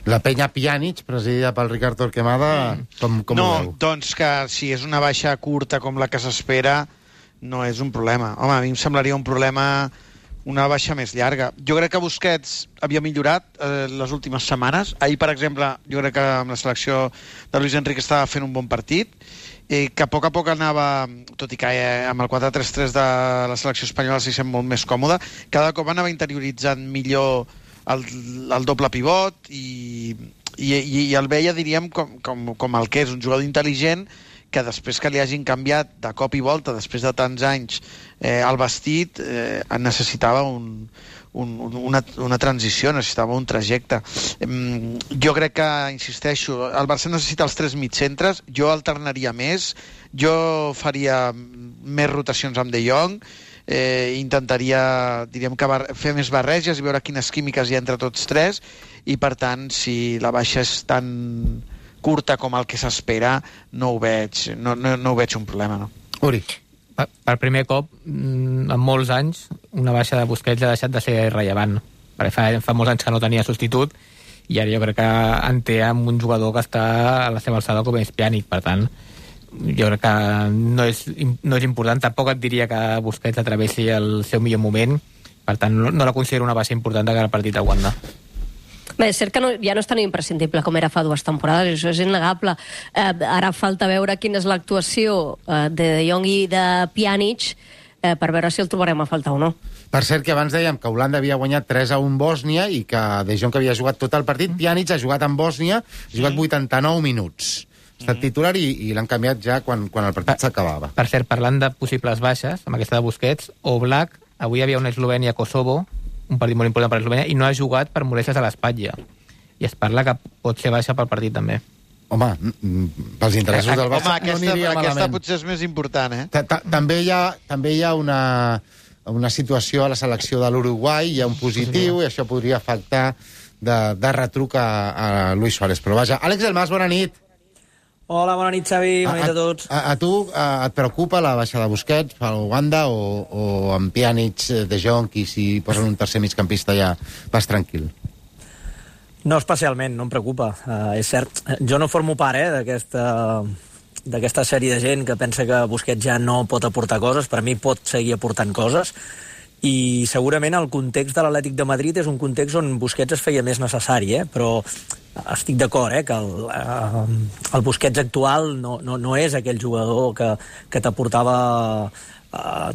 La penya Pjanic, presidida pel Ricard Torquemada, com ho veu? Doncs que si és una baixa curta com la que s'espera, no és un problema. Home, a mi em semblaria un problema una baixa més llarga. Jo crec que Busquets havia millorat les últimes setmanes. Ahir, per exemple, jo crec que amb la selecció de Luis Enrique estava fent un bon partit, que a poc anava, tot i que amb el 4-3-3 de la selecció espanyola s'hi sent molt més còmode, cada cop anava interioritzant millor el doble pivot i el veia, diríem, com el que és, un jugador intel·ligent que després que li hagin canviat de cop i volta, després de tants anys, el vestit, necessitava una transició, necessitava un trajecte. Jo crec que, insisteixo, el Barça necessita els 3 mitcentres, jo alternaria més, jo faria més rotacions amb De Jong, intentaria, diríem, que fer més barreges i veure quines químiques hi ha entre tots 3, i per tant, si la baixa és tan curta com el que s'espera, no ho veig un problema, no? Uri. Per primer cop, en molts anys, una baixa de Busquets ha deixat de ser rellevant. Perquè fa molts anys que no tenia substitut i ara jo crec que en té amb un jugador que està a la seva alçada com és Pjanic. Per tant, jo crec que no és important. Tampoc et diria que Busquets atravessi el seu millor moment. Per tant, no la considero una baixa important de cara al partit a Wanda. Bé, és cert que ja no és tan imprescindible com era fa 2 temporades, això és innegable. Ara falta veure quina és l'actuació de De Jong i de Pjanic per veure si el trobarem a faltar o no. Per cert, que abans dèiem que Holanda havia guanyat 3-1 Bòsnia i que De Jong havia jugat tot el partit. Pjanic ha jugat en Bòsnia, ha jugat 89 minuts. Ha estat titular i l'han canviat ja quan el partit s'acabava. Per cert, parlant de possibles baixes, amb aquesta de Busquets, Oblak, avui hi havia una Eslovènia-Kosovo, un partit molt important per Eslovènia, i no ha jugat per molèsties a l'espatlla. I es parla que pot ser baixa pel partit, també. Home, pels interessos del Barça no aniria malament. Aquesta potser és més important, També hi ha una situació a la selecció de l'Uruguai, hi ha un positiu, i això podria afectar de retruc a Luis Suárez. Però vaja, Àlex del Mas, bona nit. Hola, bona nit, Xavi, bona nit a tots. A tu et preocupa la baixa de Busquets pel Uganda o amb Pjanic, De Jong, i si posen un tercer migcampista ja vas tranquil? No especialment, no em preocupa. És cert, jo no formo part d'aquesta sèrie de gent que pensa que Busquets ja no pot aportar coses. Per mi pot seguir aportant coses, i segurament el context de l'Atlètic de Madrid és un context on Busquets es feia més necessari, però estic d'acord, que el Busquets actual no és aquell jugador que t'aportava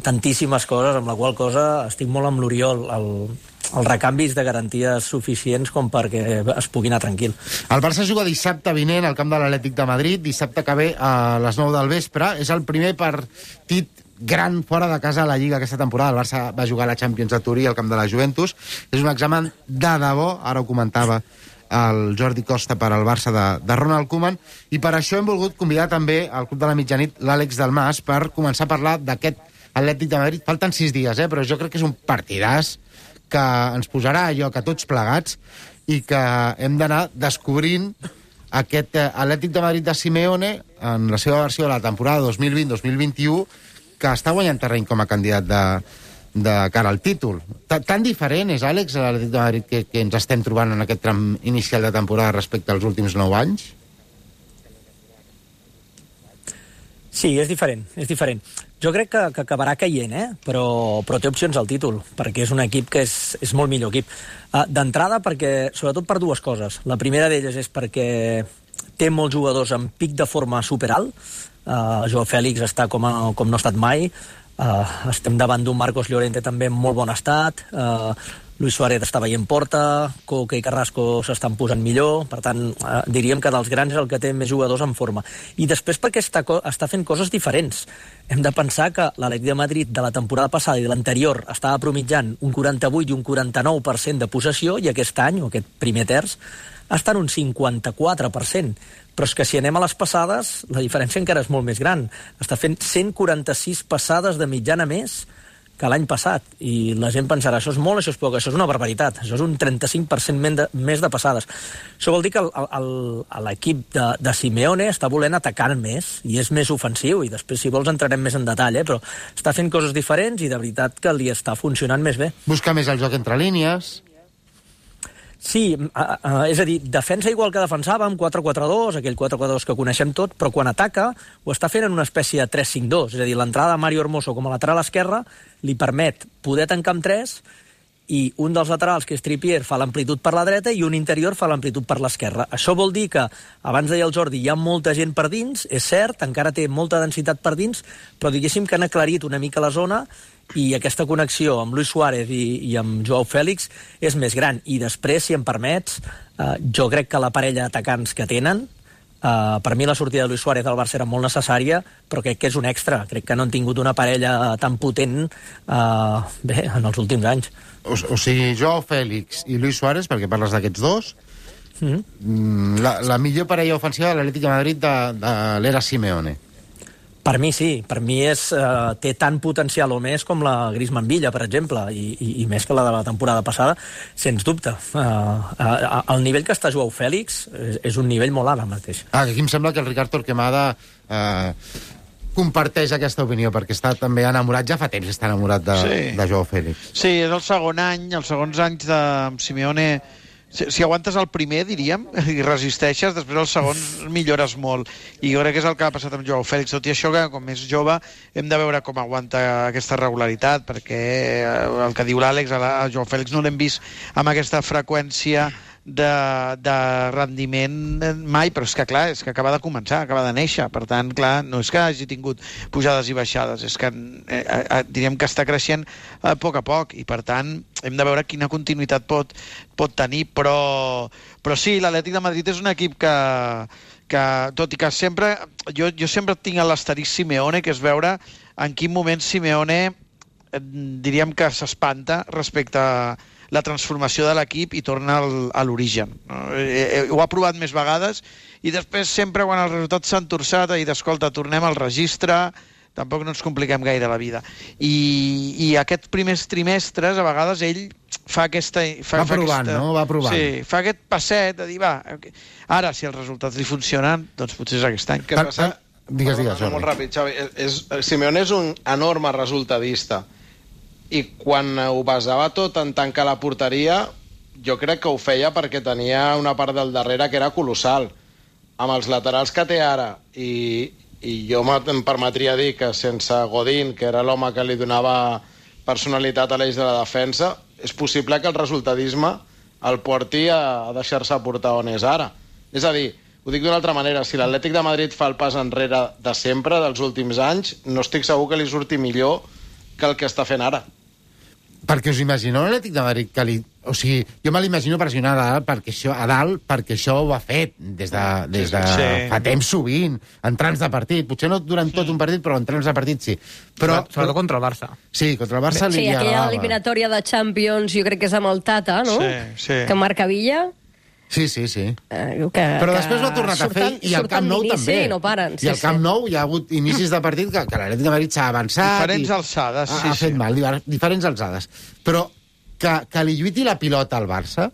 tantíssimes coses, amb la qual cosa estic molt amb l'Oriol. Els recanvis de garanties suficients com perquè es pugui anar tranquil. El Barça juga dissabte vinent al camp de l'Atlètic de Madrid, dissabte que ve a les 9 del vespre. És el primer partit gran fora de casa a la Lliga aquesta temporada. El Barça va jugar a la Champions a Turí, al camp de la Juventus. És un examen de debò, ara ho comentava el Jordi Costa per al Barça de Ronald Koeman, i per això hem volgut convidar també al Club de la Mitjanit l'Àlex del Mas per començar a parlar d'aquest Atlètic de Madrid. Falten 6 dies, però jo crec que és un partidàs que ens posarà a lloc a tots plegats i que hem d'anar descobrint aquest Atlètic de Madrid de Simeone en la seva versió de la temporada 2020-2021, que està guanyant terreny com a candidat de cara al títol. Tan diferent és, Àlex, l'Atlètic de Madrid que ens estem trobant en aquest tram inicial de temporada respecte als últims 9 anys? Sí, és diferent. Jo crec que acabarà caient, però té opcions al títol, perquè és un equip que és molt millor equip. D'entrada, sobretot per dues coses. La primera d'elles és perquè té molts jugadors amb pic de forma superalt. Joao Fèlix està com no ha estat mai. Estem davant d'un Marcos Llorente també en molt bon estat. Luis Suárez està veient porta, Coque i Carrasco s'estan posant millor, per tant, diríem que dels grans és el que té més jugadors en forma. I després perquè està fent coses diferents. Hem de pensar que l'Atlètic de Madrid de la temporada passada i de l'anterior estava promitjant un 48 i un 49% de possessió, i aquest any, o aquest primer terç, està en un 54%. Però és que si anem a les passades, la diferència encara és molt més gran. Està fent 146 passades de mitjana més que l'any passat, i la gent pensarà això és molt, això és poc, això és una barbaritat, això és un 35% més de passades. Això vol dir que l'equip de Simeone està volent atacar més i és més ofensiu, i després si vols entrarem més en detall, però està fent coses diferents i de veritat que li està funcionant més bé. Busca més el joc entre línies. Sí, és a dir, defensa igual que defensava, amb 4-4-2, aquell 4-4-2 que coneixem tot, però quan ataca ho està fent en una espècie de 3-5-2, és a dir, l'entrada de Mario Hermoso com a lateral esquerre li permet poder tancar amb 3, i un dels laterals, que és Trippier, fa l'amplitud per la dreta i un interior fa l'amplitud per l'esquerra. Això vol dir que, abans deia el Jordi, hi ha molta gent per dins, és cert, encara té molta densitat per dins, però diguéssim que han aclarit una mica la zona, i aquesta connexió amb Luis Suárez i amb Joao Fèlix és més gran. I després, si em permets, jo crec que la parella d'atacants que tenen, per mi la sortida de Luis Suárez al Barça era molt necessària, però crec que és un extra. Crec que no han tingut una parella tan potent en els últims anys. O sigui, Joao Fèlix i Luis Suárez, perquè parles d'aquests dos, la millor parella ofensiva de l'Atlètic de Madrid de l'era Simeone. Per mi sí, per mi té tant potencial o més com la Griezmann-Villa, per exemple, i més que la de la temporada passada, sens dubte. El nivell que està Joao Fèlix és un nivell molt alt mateix. Aquí em sembla que el Ricard Torquemada comparteix aquesta opinió, perquè està també enamorat, ja fa temps que està enamorat de Joao Fèlix. Sí, és el segon any, els segons anys de Simeone. Si aguantes el primer, diríem, i resisteixes, després el segon millores molt. I jo crec que és el que ha passat amb Joao Fèlix. Tot i això, que com és jove, hem de veure com aguanta aquesta regularitat, perquè el que diu l'Àlex, a Joao Fèlix no l'hem vist amb aquesta freqüència de rendiment mai, però és que clar, és que acaba de començar, acaba de néixer, per tant, clar, no és que hagi tingut pujades i baixades, és que diríem que està creixent a poc, i per tant hem de veure quina continuïtat pot tenir, però sí, l'Atlètic de Madrid és un equip que tot i que sempre jo sempre tinc l'asterisc Simeone, que és veure en quin moment Simeone diríem que s'espanta respecte a la transformació de l'equip i torna a l'origen. Ho ha provat més vegades i després sempre quan els resultats s'han torçat ha dit, escolta, tornem al registre, tampoc no ens compliquem gaire la vida. I aquests primers trimestres a vegades ell fa aquesta... Va provant. Sí, fa aquest passet de dir, ara si els resultats li funcionen, doncs potser és aquest any. Digues, Jordi. Molt ràpid, Xavi. Simeone és un enorme resultadista, i quan ho basava tot en tancar la porteria, jo crec que ho feia perquè tenia una part del darrere que era colossal. Amb els laterals que té ara, i jo em permetria dir que sense Godín, que era l'home que li donava personalitat a l'eix de la defensa, és possible que el resultadisme el porti a deixar-se portar on és ara. És a dir, ho dic d'una altra manera, si l'Atlètic de Madrid fa el pas enrere de sempre, dels últims anys, no estic segur que li surti millor que el que està fent ara. Perquè us imagineu l'Atlètic de Madrid que li... O sigui, jo me l'imagino pressionar a dalt perquè això ho ha fet des de fa temps sovint, en trams de partit. Potser no durant tot un partit, però en trams de partit sí. Sobretot contra el Barça. Sí, contra el Barça li agradava. Sí, aquella eliminatòria de Champions, jo crec que és amb el Tata, no? Sí. Que marca Villa. Sí. Però després ho ha tornat a fer, i al Camp Nou també. No paren. I al Camp Nou hi ha hagut inicis de partit que l'Atlètic de Madrid s'ha avançat. Diferents alçades, ha fet mal, diferents alçades. Però que li lluiti la pilota al Barça,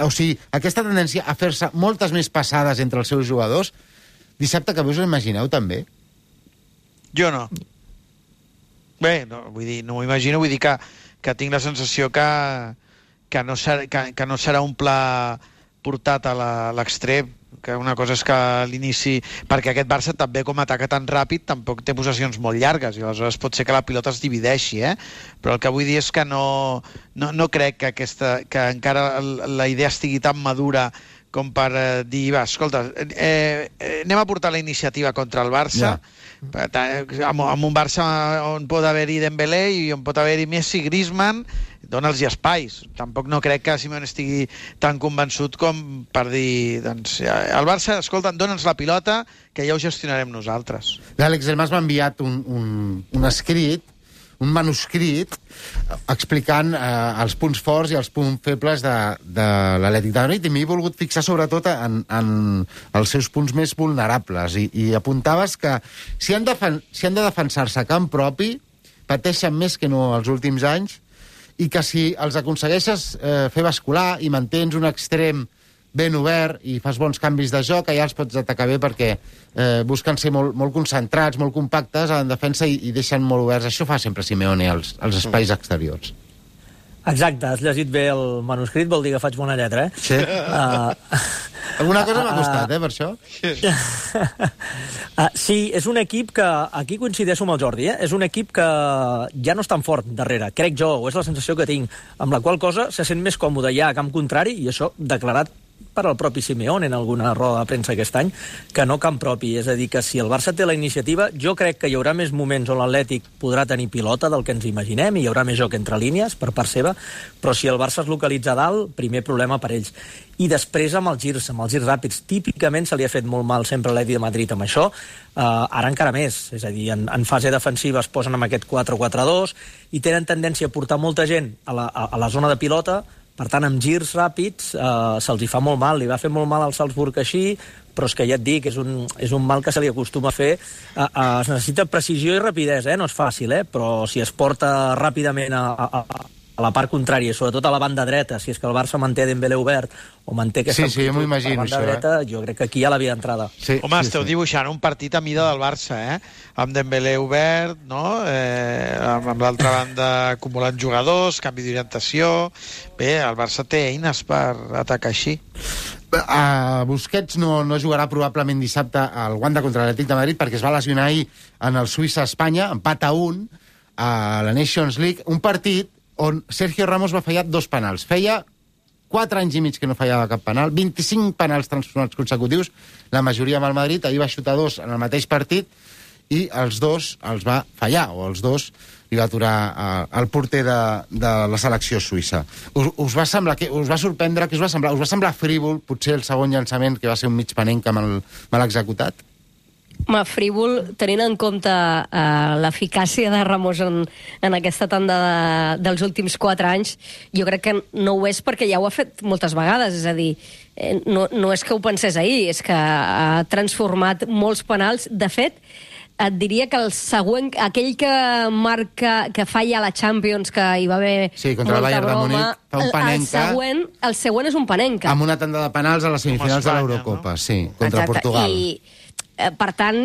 o sigui, aquesta tendència a fer-se moltes més passades entre els seus jugadors, dissabte que us ho imagineu també? Jo no. Bé, no m'ho imagino, vull dir que tinc la sensació que no serà un pla portat a l'extrem. que una cosa és que a l'inici, perquè aquest Barça també com ataca tan ràpid tampoc té possessions molt llargues i aleshores pot ser que la pilota es divideixi, però el que vull dir és que no crec que encara la idea estigui tan madura com per dir, va, escolta, anem a portar la iniciativa contra el Barça, amb un Barça on pot haver-hi Dembélé i on pot haver-hi Messi, Griezmann, dona'ls espais. Tampoc no crec que Simeone estigui tan convençut com per dir, doncs, el Barça, escolta, dona'ns la pilota, que ja ho gestionarem nosaltres. L'Àlex Elmas m'ha enviat un escrit, un manuscrit, explicant els punts forts i els punts febles de l'Atlètic de Madrid, i m'he volgut fixar sobretot en els seus punts més vulnerables. I apuntaves que si han de defensar-se a camp propi, pateixen més que no els últims anys, i que si els aconsegueixes fer bascular i mantens un extrem ben obert i fas bons canvis de joc, allà els pots atacar bé perquè busquen ser molt concentrats, molt compactes en defensa i deixen molt oberts. Això fa sempre Simeone als espais exteriors. Exacte, has llegit bé el manuscrit, vol dir que faig bona lletra, Sí. Alguna cosa m'ha costat, per això. Sí, és un equip que, aquí coincideixo amb el Jordi, és un equip que ja no és tan fort darrere, crec jo, o és la sensació que tinc, amb la qual cosa se sent més còmode ja a camp contrari, i això declarat per al propi Simeone en alguna roda de premsa aquest any, que no camp propi. És a dir, que si el Barça té la iniciativa, jo crec que hi haurà més moments on l'Atlètic podrà tenir pilota del que ens imaginem, i hi haurà més joc entre línies per part seva, però si el Barça es localitza a dalt, primer problema per ells. I després amb els girs ràpids. Típicament se li ha fet molt mal sempre a l'Atlètic de Madrid amb això, ara encara més. És a dir, en fase defensiva es posen amb aquest 4-4-2 i tenen tendència a portar molta gent a la zona de pilota. Per tant, amb girs ràpids se'ls hi fa molt mal. Li va fer molt mal al Salzburg així, però és que ja et dic, és un mal que se li acostuma a fer. Es necessita precisió i rapidesa, no és fàcil, però si es porta ràpidament a la part contrària, sobretot a la banda dreta, si és que el Barça manté Dembélé obert o manté aquesta jo m'ho imagino, a la banda dreta, jo crec que aquí hi ha la via d'entrada. Home, esteu dibuixant un partit a mida del Barça, amb Dembélé obert, no? Amb l'altra banda acumulant jugadors, canvi d'orientació. Bé, el Barça té eines per atacar així. Busquets no jugarà probablement dissabte al Wanda contra l'Atlètic de Madrid perquè es va lesionar ahir en el Suïssa-Espanya, empat a 1 a la Nations League, un partit on Sergio Ramos va fallar 2 penals. Feia 4 anys i mig que no fallava cap penal, 25 penals transformats consecutius, la majoria amb el Madrid, ahir va xutar 2 en el mateix partit, i els 2 els va fallar, o els 2 li va aturar el porter de la selecció suïssa. Us va sorprendre, us va semblar frívol, potser el segon llançament, que va ser un mig panenc mal executat? Frívol, tenint en compte l'eficàcia de Ramos en aquesta tanda dels últims 4 anys, jo crec que no ho és perquè ja ho ha fet moltes vegades, és a dir, no és que ho pensés ahir, és que ha transformat molts penals. De fet, et diria que el següent, aquell que falla a la Champions, que hi va haver contra el Bayern de Múnich, fa un panenca. El següent és un panenca. Amb una tanda de penals a les semifinals de l'Eurocopa, contra Portugal. Per tant,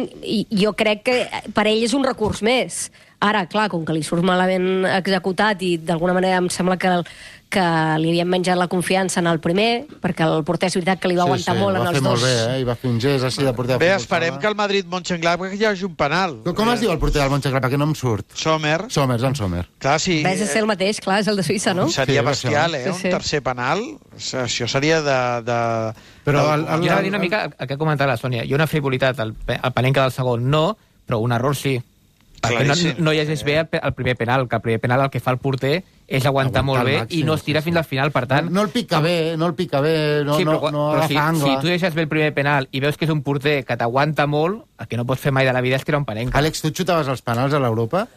jo crec que per ell és un recurs més. Ara, clar, com que li surt malament executat i d'alguna manera em sembla que li havien menjat la confiança en el primer, perquè el porter és veritat que li va aguantar molt en els dos. Va fer molt bé, i va fer un gest així de porter. Bé, esperem que el Madrid-Mönchengladbach hi hagi un penal. Com es diu el porter del Mönchengladbach, que no em surt? Sommer. Joan Sommer. Clar, sí. Ves a ser el mateix, clar, és el de Suïssa, no? Seria bestial, un tercer penal. Això seria de... Però jo anava a dir una mica el que ha comentat la Sònia. Hi ha una frivolitat al panenca del segon, no, però un error sí. Perquè no llegeix bé el primer penal, que el primer penal el que fa el porter és aguantar molt bé i no es tira fins al final, per tant... No el pica bé, no agafa angle. Si tu deixes bé el primer penal i veus que és un porter que t'aguanta molt, el que no pots fer mai de la vida és tirar un panenca. Àlex, tu xutaves els penals a l'Europa?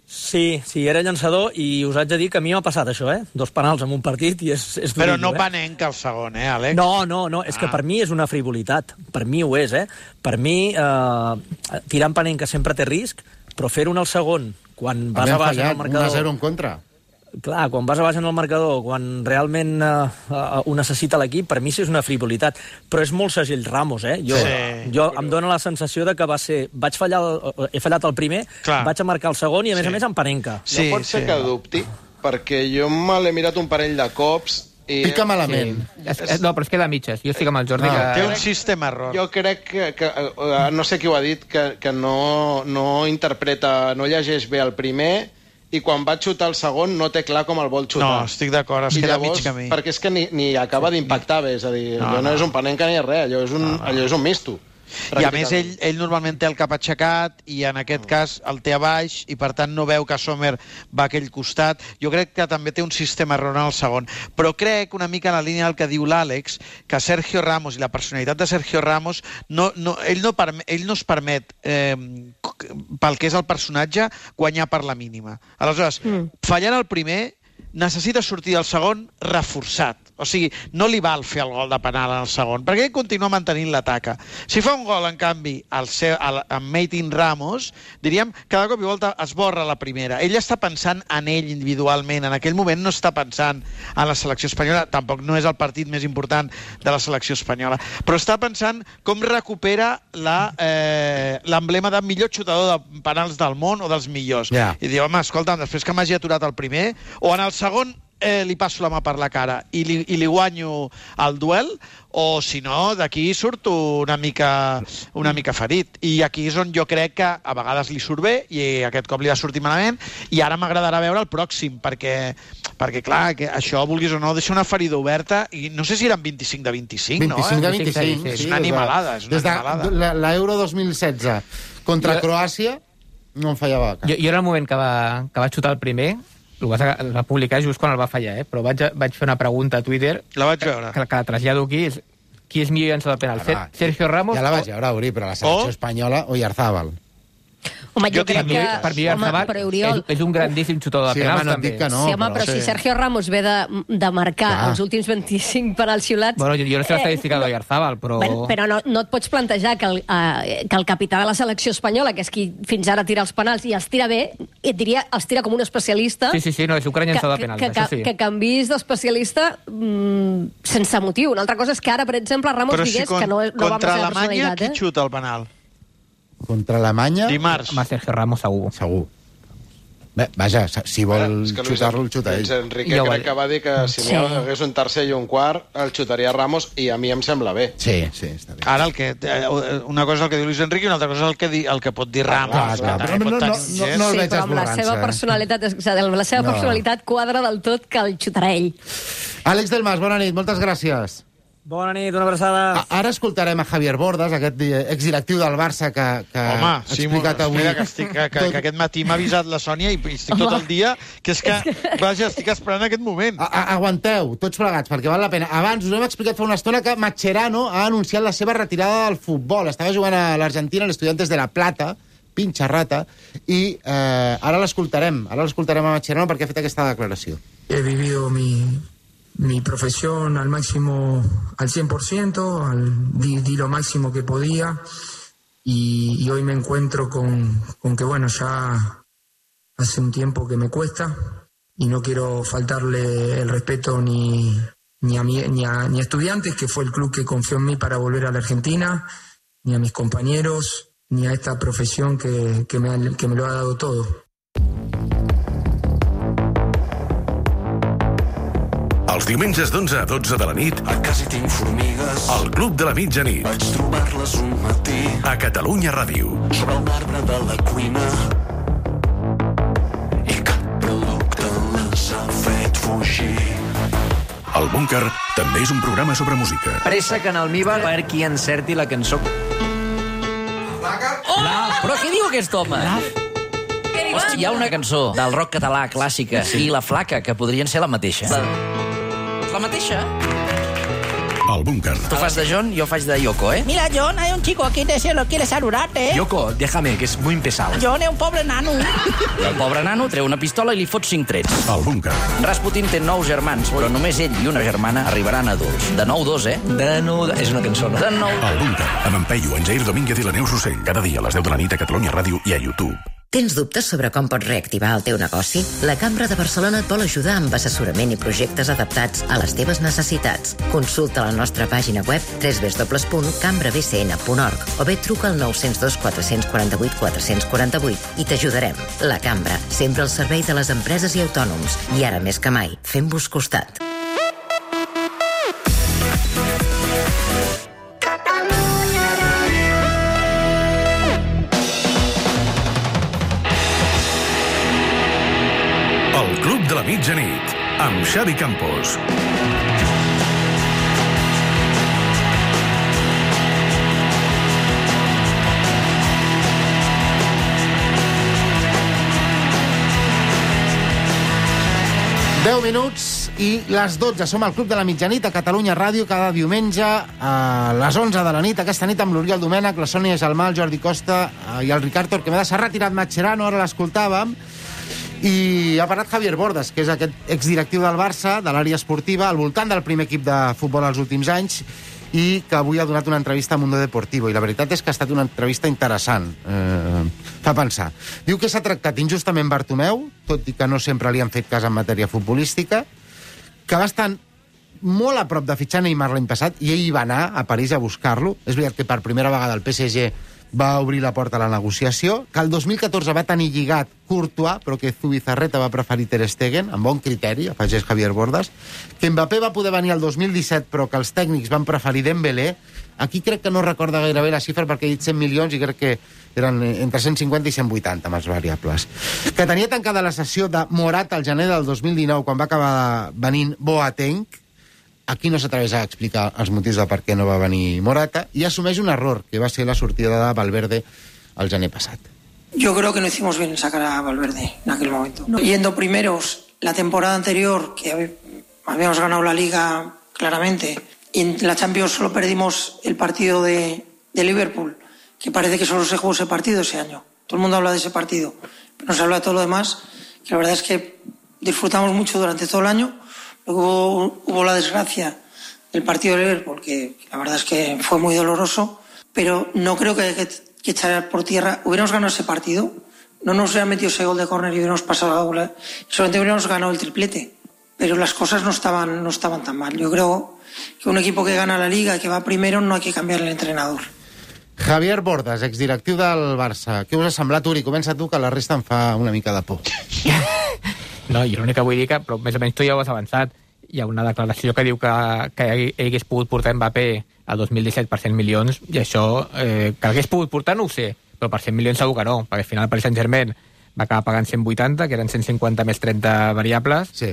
Sí, era llançador i us haig de dir que a mi m'ha passat això, 2 penals en un partit i és duríssim. Però no panenca el segon, Àlex? No, és que per mi és una frivolitat. Per mi ho és, Per mi, tirar en panenca sempre té risc, però fer-ho en el segon, quan vas a baix en el marcador... 1-0 en contra. Clar, quan vas a baix en el marcador, quan realment ho necessita l'equip, per mi sí és una frivolitat. Però és molt segell Ramos, Jo em dóna la sensació de que va ser... He fallat el primer, vaig a marcar el segon i, a més en panenca. No pot ser que dubti, perquè jo me l'he mirat un parell de cops Pica malament. No, però es queda a mitges. Jo estic amb el Jordi. Té un sistema error. Jo crec que no sé qui ho ha dit, que no interpreta, no llegeix bé el primer i quan va xutar el segon no té clar com el vol xutar. No, estic d'acord, es queda mig camí. Perquè és que ni acaba d'impactar bé, és a dir, allò no és un panenca ni res, allò és un misto. I a més ell normalment té el cap aixecat i en aquest cas el té a baix i per tant no veu que Sommer va a aquell costat. Jo crec que també té un sistema error en el segon, però crec una mica en la línia del que diu l'Àlex, que Sergio Ramos i la personalitat de Sergio Ramos ell no es permet pel que és el personatge guanyar per la mínima. Aleshores, fallant el primer necessita sortir del segon reforçat. O sigui, no li val fer el gol de penal en el segon, perquè ell continua mantenint l'ataca. Si fa un gol, en canvi, amb Martín Ramos, diríem, cada cop i volta es borra la primera. Ell està pensant en ell individualment. En aquell moment no està pensant en la selecció espanyola. Tampoc no és el partit més important de la selecció espanyola. Però està pensant com recupera l'emblema de millor xutador de penals del món o dels millors. I diu, home, escolta, després que m'hagi aturat el primer, o en el segon li passo la mà per la cara i li guanyo el duel, o si no, d'aquí surto una mica ferit. I aquí és on jo crec que a vegades li surt bé i aquest cop li va sortir malament, i ara m'agradarà veure el pròxim, perquè clar, que això, vulguis o no, deixa una ferida oberta, i no sé si eren 25 de 25, no? 25 de 25, és una animalada, és una animalada. Des de l'Euro 2016 contra Croàcia no em fallava cap. Jo en el moment que va xutar el primer, el va publicar just quan el va fallar, però vaig fer una pregunta a Twitter. La vaig veure. Que la trasllado aquí. Qui és millor llançador de penal? Sergio Ramos? Ja la vaig veure, Uri, però la selecció espanyola o Oyarzabal. Home, jo crec que... Per mi, Oyarzabal és un grandíssim xutador de penals, també. Sí, home, però si Sergio Ramos ve de marcar els últims 25 penals xiulats... Bueno, jo no sé l'estadística d'Oyarzabal, però... Però no et pots plantejar que el capità de la selecció espanyola, que és qui fins ara tira els penals i els tira bé, et diria, els tira com un especialista... Sí, no, és un gran llançador de penals, això sí. Que canvis d'especialista sense motiu. Una altra cosa és que ara, per exemple, Ramos digués que no va amb la seva personalitat. Contra Alemanya, qui xuta el penal? Contra Alemanya... Dimarts. Home, Sergio Ramos, segur. Bé, vaja, si vol xutar-lo, el xuta ell. Luis Enrique crec que va dir que si n'hi hagués un tercer i un quart, el xutaria Ramos, i a mi em sembla bé. Sí, està bé. Ara, una cosa és el que diu Luis Enrique i una altra cosa és el que pot dir Ramos. No el veig esborrant-se. La seva personalitat quadra del tot que el xutarà ell. Àlex del Mas, bona nit, moltes gràcies. Bona nit, una abraçada. Ara escoltarem a Javier Bordas, aquest exdirectiu del Barça que ha explicat avui... Mira, que aquest matí m'ha avisat la Sònia i estic tot el dia, que és que, vaja, estic esperant aquest moment. Aguanteu, tots plegats, perquè val la pena. Abans us hem explicat fa una estona que Mascherano ha anunciat la seva retirada del futbol. Estava jugant a l'Argentina, l'Estudiantes de La Plata, pinxa rata, i ara l'escoltarem a Mascherano perquè ha fet aquesta declaració. He vivido mi profesión al máximo, al 100%, di lo máximo que podía y hoy me encuentro con que, bueno, ya hace un tiempo que me cuesta y no quiero faltarle el respeto ni a Estudiantes, que fue el club que confió en mí para volver a la Argentina, ni a mis compañeros, ni a esta profesión que me lo ha dado todo. Els diumenges d'11 a 12 de la nit, A casa hi tinc formigues, al Club de la Mitjanit, vaig trobar-les un matí, a Catalunya Ràdio. sobre un arbre de la cuina, i cap producte les ha fet fugir. El Búnquer també és un programa sobre música. Préssec en almíbar per qui encerti la cançó. Però què diu aquest home? Hosti, hi ha una cançó del rock català clàssica i La Flaca, que podrien ser la mateixa. La mateixa? El Búnquer. Tu fas de John, jo faig de Yoko, ¿eh? Mira, John, hay un chico aquí que se lo quiere saludarte. Yoko, déjame, que és muy pesado. John és un pobre nano. El pobre nano treu una pistola i li fot 5 trets. El Búnquer. Rasputin té 9 germans, però només ell i una germana arribaran adults. De 9-2, eh? De 9... És una cançó, no? De 9... El Búnquer, amb en Peyu, en Jair Domínguez i la Neus Rossell. Cada dia a les 10 de la nit a Catalunya Ràdio i a YouTube. Tens dubtes sobre com pots reactivar el teu negoci? La Cambra de Barcelona et vol ajudar amb assessorament i projectes adaptats a les teves necessitats. Consulta la nostra pàgina web www.cambrabcn.org o bé truca al 902 448 448 i t'ajudarem. La Cambra, sempre al servei de les empreses i autònoms. I ara més que mai, fem-vos costat. la mitjanit, amb Xavi Campos. Deu minuts i les 12. Som al Club de la Mitjanit a Catalunya Ràdio cada diumenge a les 11 de la nit. Aquesta nit amb l'Oriol Domènech, la Sònia Gelmà, el Jordi Costa i el Ricard Torquemada. S'ha retirat Mascherano, ara l'escoltàvem. I ha parlat Javier Bordas, que és aquest exdirectiu del Barça, de l'àrea esportiva, al voltant del primer equip de futbol als últims anys, i que avui ha donat una entrevista a Mundo Deportivo. I la veritat és que ha estat una entrevista interessant. Fa pensar. Diu que s'ha tractat injustament Bartomeu, tot i que no sempre li han fet cas en matèria futbolística, que va estar molt a prop de fitxar Neymar l'any passat, i ell va anar a París a buscar-lo. És veritat que per primera vegada el PSG va obrir la porta a la negociació, que el 2014 va tenir lligat Courtois, però que Zubizarreta va preferir Ter Stegen, amb bon criteri, afegeix Javier Bordas, que Mbappé va poder venir el 2017, però que els tècnics van preferir Dembélé. Aquí crec que no recorda gairebé la xifra, perquè he dit 100 milions i crec que eren entre 150 i 180 amb els variables. Que tenia tancada la sessió de Morata al gener del 2019, quan va acabar venint Boateng. Aquí no s'atreveix a explicar els motius de per què no va venir Morata, i assumeix un error, que va ser la sortida de Valverde el gener passat. Yo creo que no hicimos bien en sacar a Valverde en aquel momento. Yendo primeros la temporada anterior, que habíamos ganado la Liga claramente, y en la Champions solo perdimos el partido de Liverpool, que parece que solo se jugó ese partido ese año. Todo el mundo habla de ese partido, pero no se habla de todo lo demás, que la verdad es que disfrutamos mucho durante todo el año. Luego hubo la desgracia del partido de Liverpool, que la verdad es que fue muy doloroso, pero no creo que hay que echar por tierra. Hubiéramos ganado ese partido, no nos hubieran metido ese gol de córner y hubiéramos pasado la bola, solamente hubiéramos ganado el triplete, pero las cosas no estaban tan mal. Yo creo que un equipo que gana la Liga y que va primero no hay que cambiar el entrenador. Javier Bordas, exdirectiu del Barça. Què us ha semblat, Uri? Comença tu, que la resta em fa una mica de por. No, jo l'únic que vull dir que, però més o menys tu ja ho has avançat, hi ha una declaració que diu que ell hagués pogut portar Mbappé al 2017 per 100 milions, i això, que l'hagués pogut portar no ho sé, però per 100 milions segur que no, perquè al final el Paris Saint-Germain va acabar pagant 180, que eren 150 més 30 variables. Sí.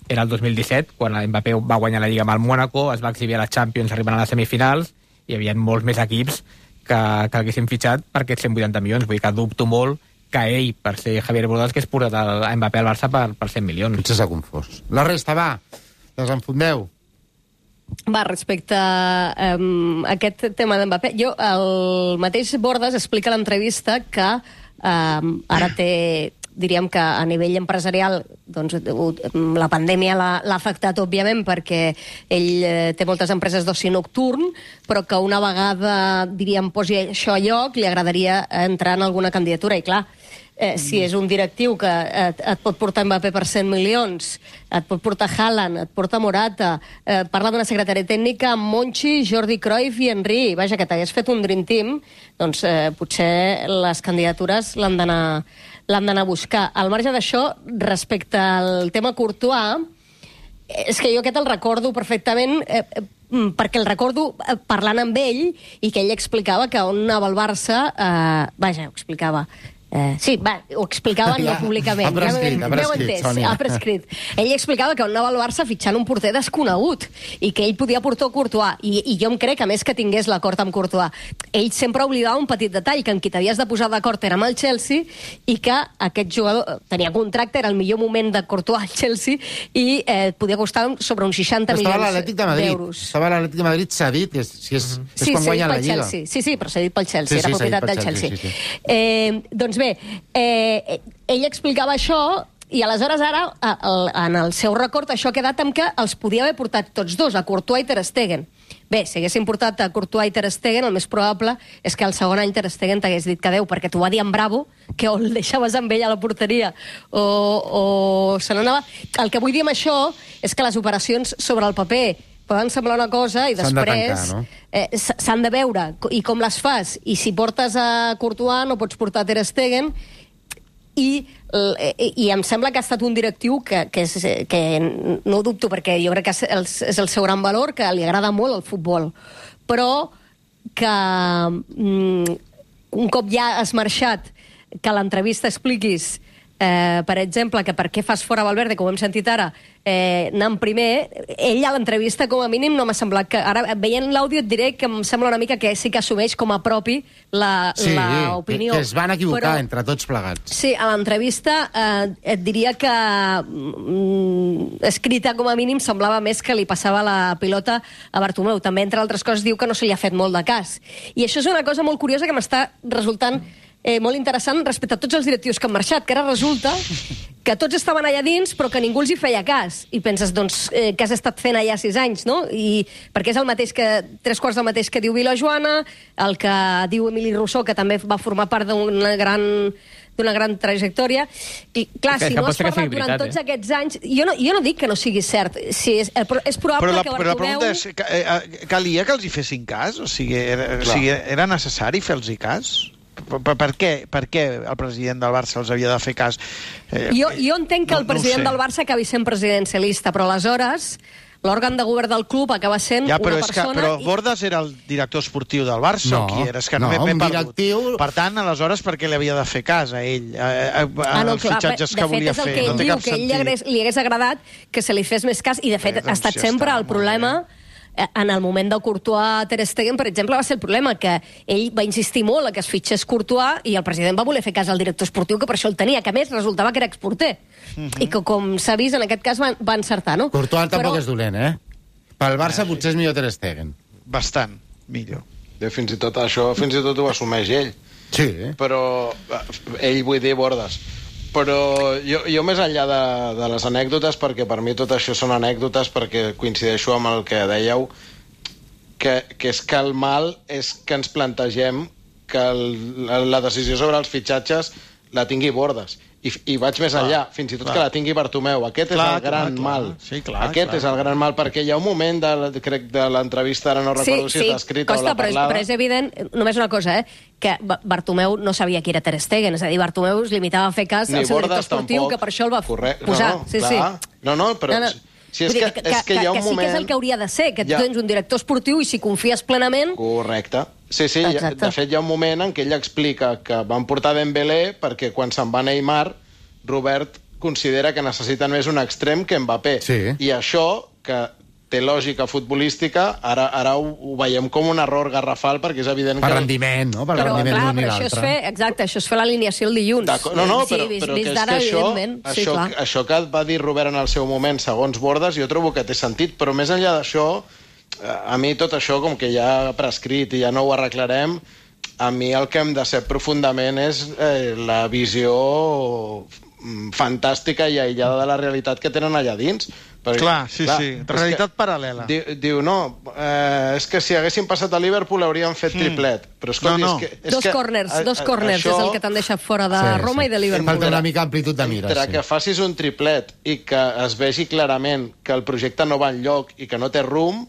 Era el 2017, quan Mbappé va guanyar la Lliga amb el Mónaco, es va exhibir a la Champions arribant a les semifinals, i hi havia molts més equips que haguessin fitxat per aquests 180 milions. Vull dir que dubto molt que ell, per ser Javier Bordas, que és portat a Mbappé al Barça per 100 milions. Potser s'ha confós. La resta, va, desenfondeu. Va, respecte a aquest tema d'Mbappé, el mateix Bordas explica a l'entrevista que ara té, diríem que a nivell empresarial, doncs, la pandèmia l'ha afectat, òbviament, perquè ell té moltes empreses d'oci nocturn, però que una vegada, diríem, posi això a lloc, li agradaria entrar en alguna candidatura. I clar, si és un directiu que et pot portar Mbappé per 100 milions, et pot portar Haaland, et porta Morata, parla d'una secretària tècnica amb Monchi, Jordi Cruyff i Henry, vaja, que t'hagués fet un Dream Team, doncs potser les candidatures l'han d'anar a buscar. Al marge d'això, respecte al tema Courtois, és que jo aquest el recordo perfectament, perquè el recordo parlant amb ell i que ell explicava que on anava el Barça, vaja, ho explicava. Sí, va, ho explicava no públicament. Ha prescrit. Ell explicava que on anava el Barça fitxant un porter desconegut i que ell podia portar Courtois. I jo em crec, a més, que tingués l'acord amb Courtois. Ell sempre oblidava un petit detall, que en qui t'havies de posar d'acord era amb el Chelsea i que aquest jugador tenia contracte, era el millor moment de Courtois al Chelsea i podia costar sobre uns 60 milions d'euros. Estava a l'Atlètic de Madrid cedit, és quan guanya la Lliga. Sí, però cedit pel Chelsea, era propietat del Chelsea. Doncs bé, ell explicava això i aleshores ara, en el seu record, això ha quedat amb que els podia haver portat tots dos, a Courtois i Ter Stegen. Bé, si haguessin portat a Courtois i Ter Stegen, el més probable és que el segon any Ter Stegen t'hagués dit que adeu, perquè t'ho va dir en Bravo, que o el deixaves amb ell a la porteria o se n'anava. El que vull dir amb això és que les operacions sobre el paper poden semblar una cosa i després s'han de veure i com les fas. I si portes a Courtois no pots portar a Ter Stegen i em sembla que ha estat un directiu que no ho dubto, perquè jo crec que és el seu gran valor, que li agrada molt el futbol, però que un cop ja has marxat, que a l'entrevista expliquis per exemple, que per què fas fora Valverde, com hem sentit ara, anant primer, ell a l'entrevista com a mínim no m'ha semblat que... Ara, veient l'àudio et diré que em sembla una mica que sí que assumeix com a propi l'opinió. Que es van equivocar entre tots plegats. Sí, a l'entrevista et diria que escrita com a mínim semblava més que li passava la pilota a Bartomeu. També, entre altres coses, diu que no se li ha fet molt de cas. I això és una cosa molt curiosa que m'està resultant molt interessant respecte a tots els directius que han marxat, que ara resulta que tots estaven allà dins però que ningú els hi feia cas. I penses, doncs, què has estat fent allà 6 anys, no? Perquè és el mateix que, 3/4 del mateix que diu Vila Joana, el que diu Emili Rousseau, que també va formar part d'una gran trajectòria. I, clar, si no has parlat durant tots aquests anys... Jo no dic que no sigui cert. És probable que Bartomeu... Però la pregunta és, calia que els hi fessin cas? O sigui, era necessari fer-los cas? Per què el president del Barça els havia de fer cas? Jo entenc que el president del Barça acabi sent presidencialista, però aleshores l'òrgan de govern del club acaba sent una persona... Però Bordas era el director esportiu del Barça o qui era? És que no m'he perdut. Per tant, aleshores, per què li havia de fer cas a ell? Els fitxatges que volia fer. De fet, és el que ell diu, que ell li hagués agradat que se li fes més cas, i de fet ha estat sempre el problema... En el moment de Courtois, Ter Stegen, per exemple, va ser el problema, que ell va insistir molt a que es fitxés Courtois i el president va voler fer cas al director esportiu, que per això el tenia, que a més resultava que era exporter. I que, com s'ha vist, en aquest cas va encertar, no? Courtois tampoc és dolent, Pel Barça potser és millor Ter Stegen. Bastant millor. Fins i tot això, ho assumeix ell. Sí. Però ell, vull dir, Bordas. Però jo més enllà de les anècdotes, perquè per mi tot això són anècdotes, perquè coincideixo amb el que dèieu, que és que el mal és que ens plantegem que la decisió sobre els fitxatges la tingui Bordas. I vaig més enllà, fins i tot que la tingui Bartomeu. Aquest és el gran mal. Aquest és el gran mal, perquè hi ha un moment, crec, de l'entrevista, ara no recordo si està escrit o la parlada... Però és evident, només una cosa, que Bartomeu no sabia qui era Ter Stegen, és a dir, Bartomeu es limitava a fer cas al seu director esportiu, que per això el va posar. No, però... Si és que hi ha un moment... sí que és el que hauria de ser, que tu tens un director esportiu i si confies plenament... Correcte. Sí, de fet hi ha un moment en què ell explica que van portar Dembélé perquè quan se'n va Neymar, Robert considera que necessiten més un extrem que Mbappé. I això, que té lògica futbolística, ara ho veiem com un error garrafal, perquè és evident que... Per rendiment, no? Per rendiment d'un i l'altre. Exacte, això és fer l'alineació el dilluns. No, però que és que això que va dir Robert en el seu moment, segons Bordas, jo trobo que té sentit, però més enllà d'això, a mi tot això, com que ja ha prescrit i ja no ho arreglarem, a mi el que em decep profundament és la visió fantàstica i aïllada de la realitat que tenen allà dins. Clar, sí. Realitat paral·lela. Diu, no, és que si haguessin passat a Liverpool hauríem fet triplet. Però escolti, dos corners és el que t'han deixat fora de Roma i de Liverpool. Falta una mica amplitud de mira. Entre que facis un triplet i que es vegi clarament que el projecte no va enlloc i que no té rumb,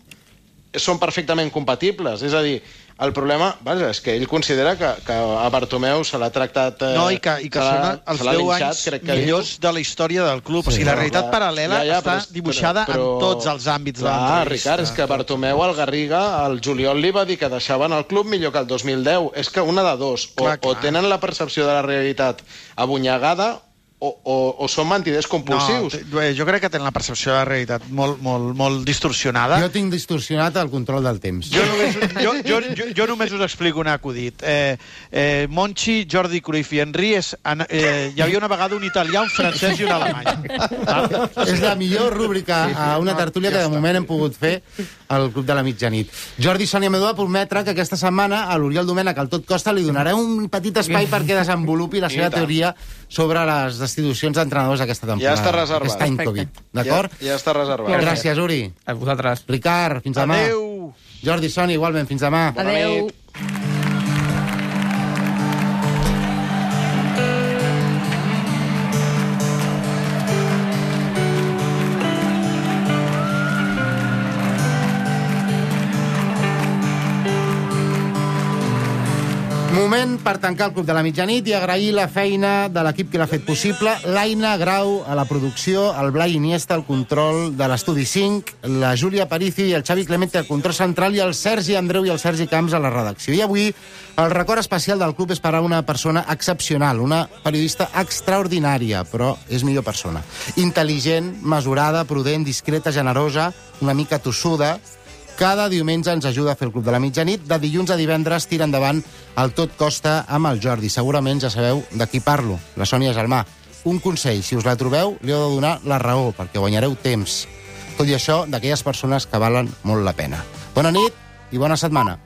són perfectament compatibles. És a dir, el problema és que ell considera que a Bartomeu se l'ha tractat... No, i que són els 10 anys millors de la història del club. O sigui, la realitat paral·lela està dibuixada en tots els àmbits de l'entrevista. Ricard, és que Bartomeu al Garriga, al juliol li va dir que deixaven el club millor que el 2010. És que una de dos, o tenen la percepció de la realitat abunyagada, o són mentiders compulsius. No, jo crec que tenen la percepció de la realitat molt distorsionada. Jo tinc distorsionat el control del temps. Jo només us explico un acudit. Monchi, Jordi Cruyff i Henry hi havia una vegada un italià, un francès i un alemany. És la millor rúbrica a una tertúlia que de moment hem pogut fer al Club de la Mitjanit. Jordi Sònia Medó va prometre que aquesta setmana a l'Oriol Domènech al Tot Costa li donarà un petit espai perquè desenvolupi la seva teoria sobre les destitucions d'entrenadors aquesta temporada. Ja està reservat. Aquest any Covid. D'acord? Ja està reservat. Gràcies, Uri. A vosaltres. Ricard, fins demà. Adéu. Jordi Sònia, igualment, fins demà. Adéu. Moment per tancar el Club de la Mitjanit i agrair la feina de l'equip que l'ha fet possible. L'Aina Grau a la producció, el Blai Iniesta al control de l'Estudi 5, la Júlia Aparici i el Xavi Clemente al control central i el Sergi Andreu i el Sergi Camps a la redacció. I avui el record especial del club és per a una persona excepcional, una periodista extraordinària, però és millor persona. Intel·ligent, mesurada, prudent, discreta, generosa, una mica tossuda. Cada diumenge ens ajuda a fer el Club de la Mitjanit. De dilluns a divendres tira endavant el Tot Costa amb el Jordi. Segurament ja sabeu de qui parlo, la Sònia Gelmà. Un consell, si us la trobeu, li heu de donar la raó, perquè guanyareu temps. Tot i això, d'aquelles persones que valen molt la pena. Bona nit i bona setmana.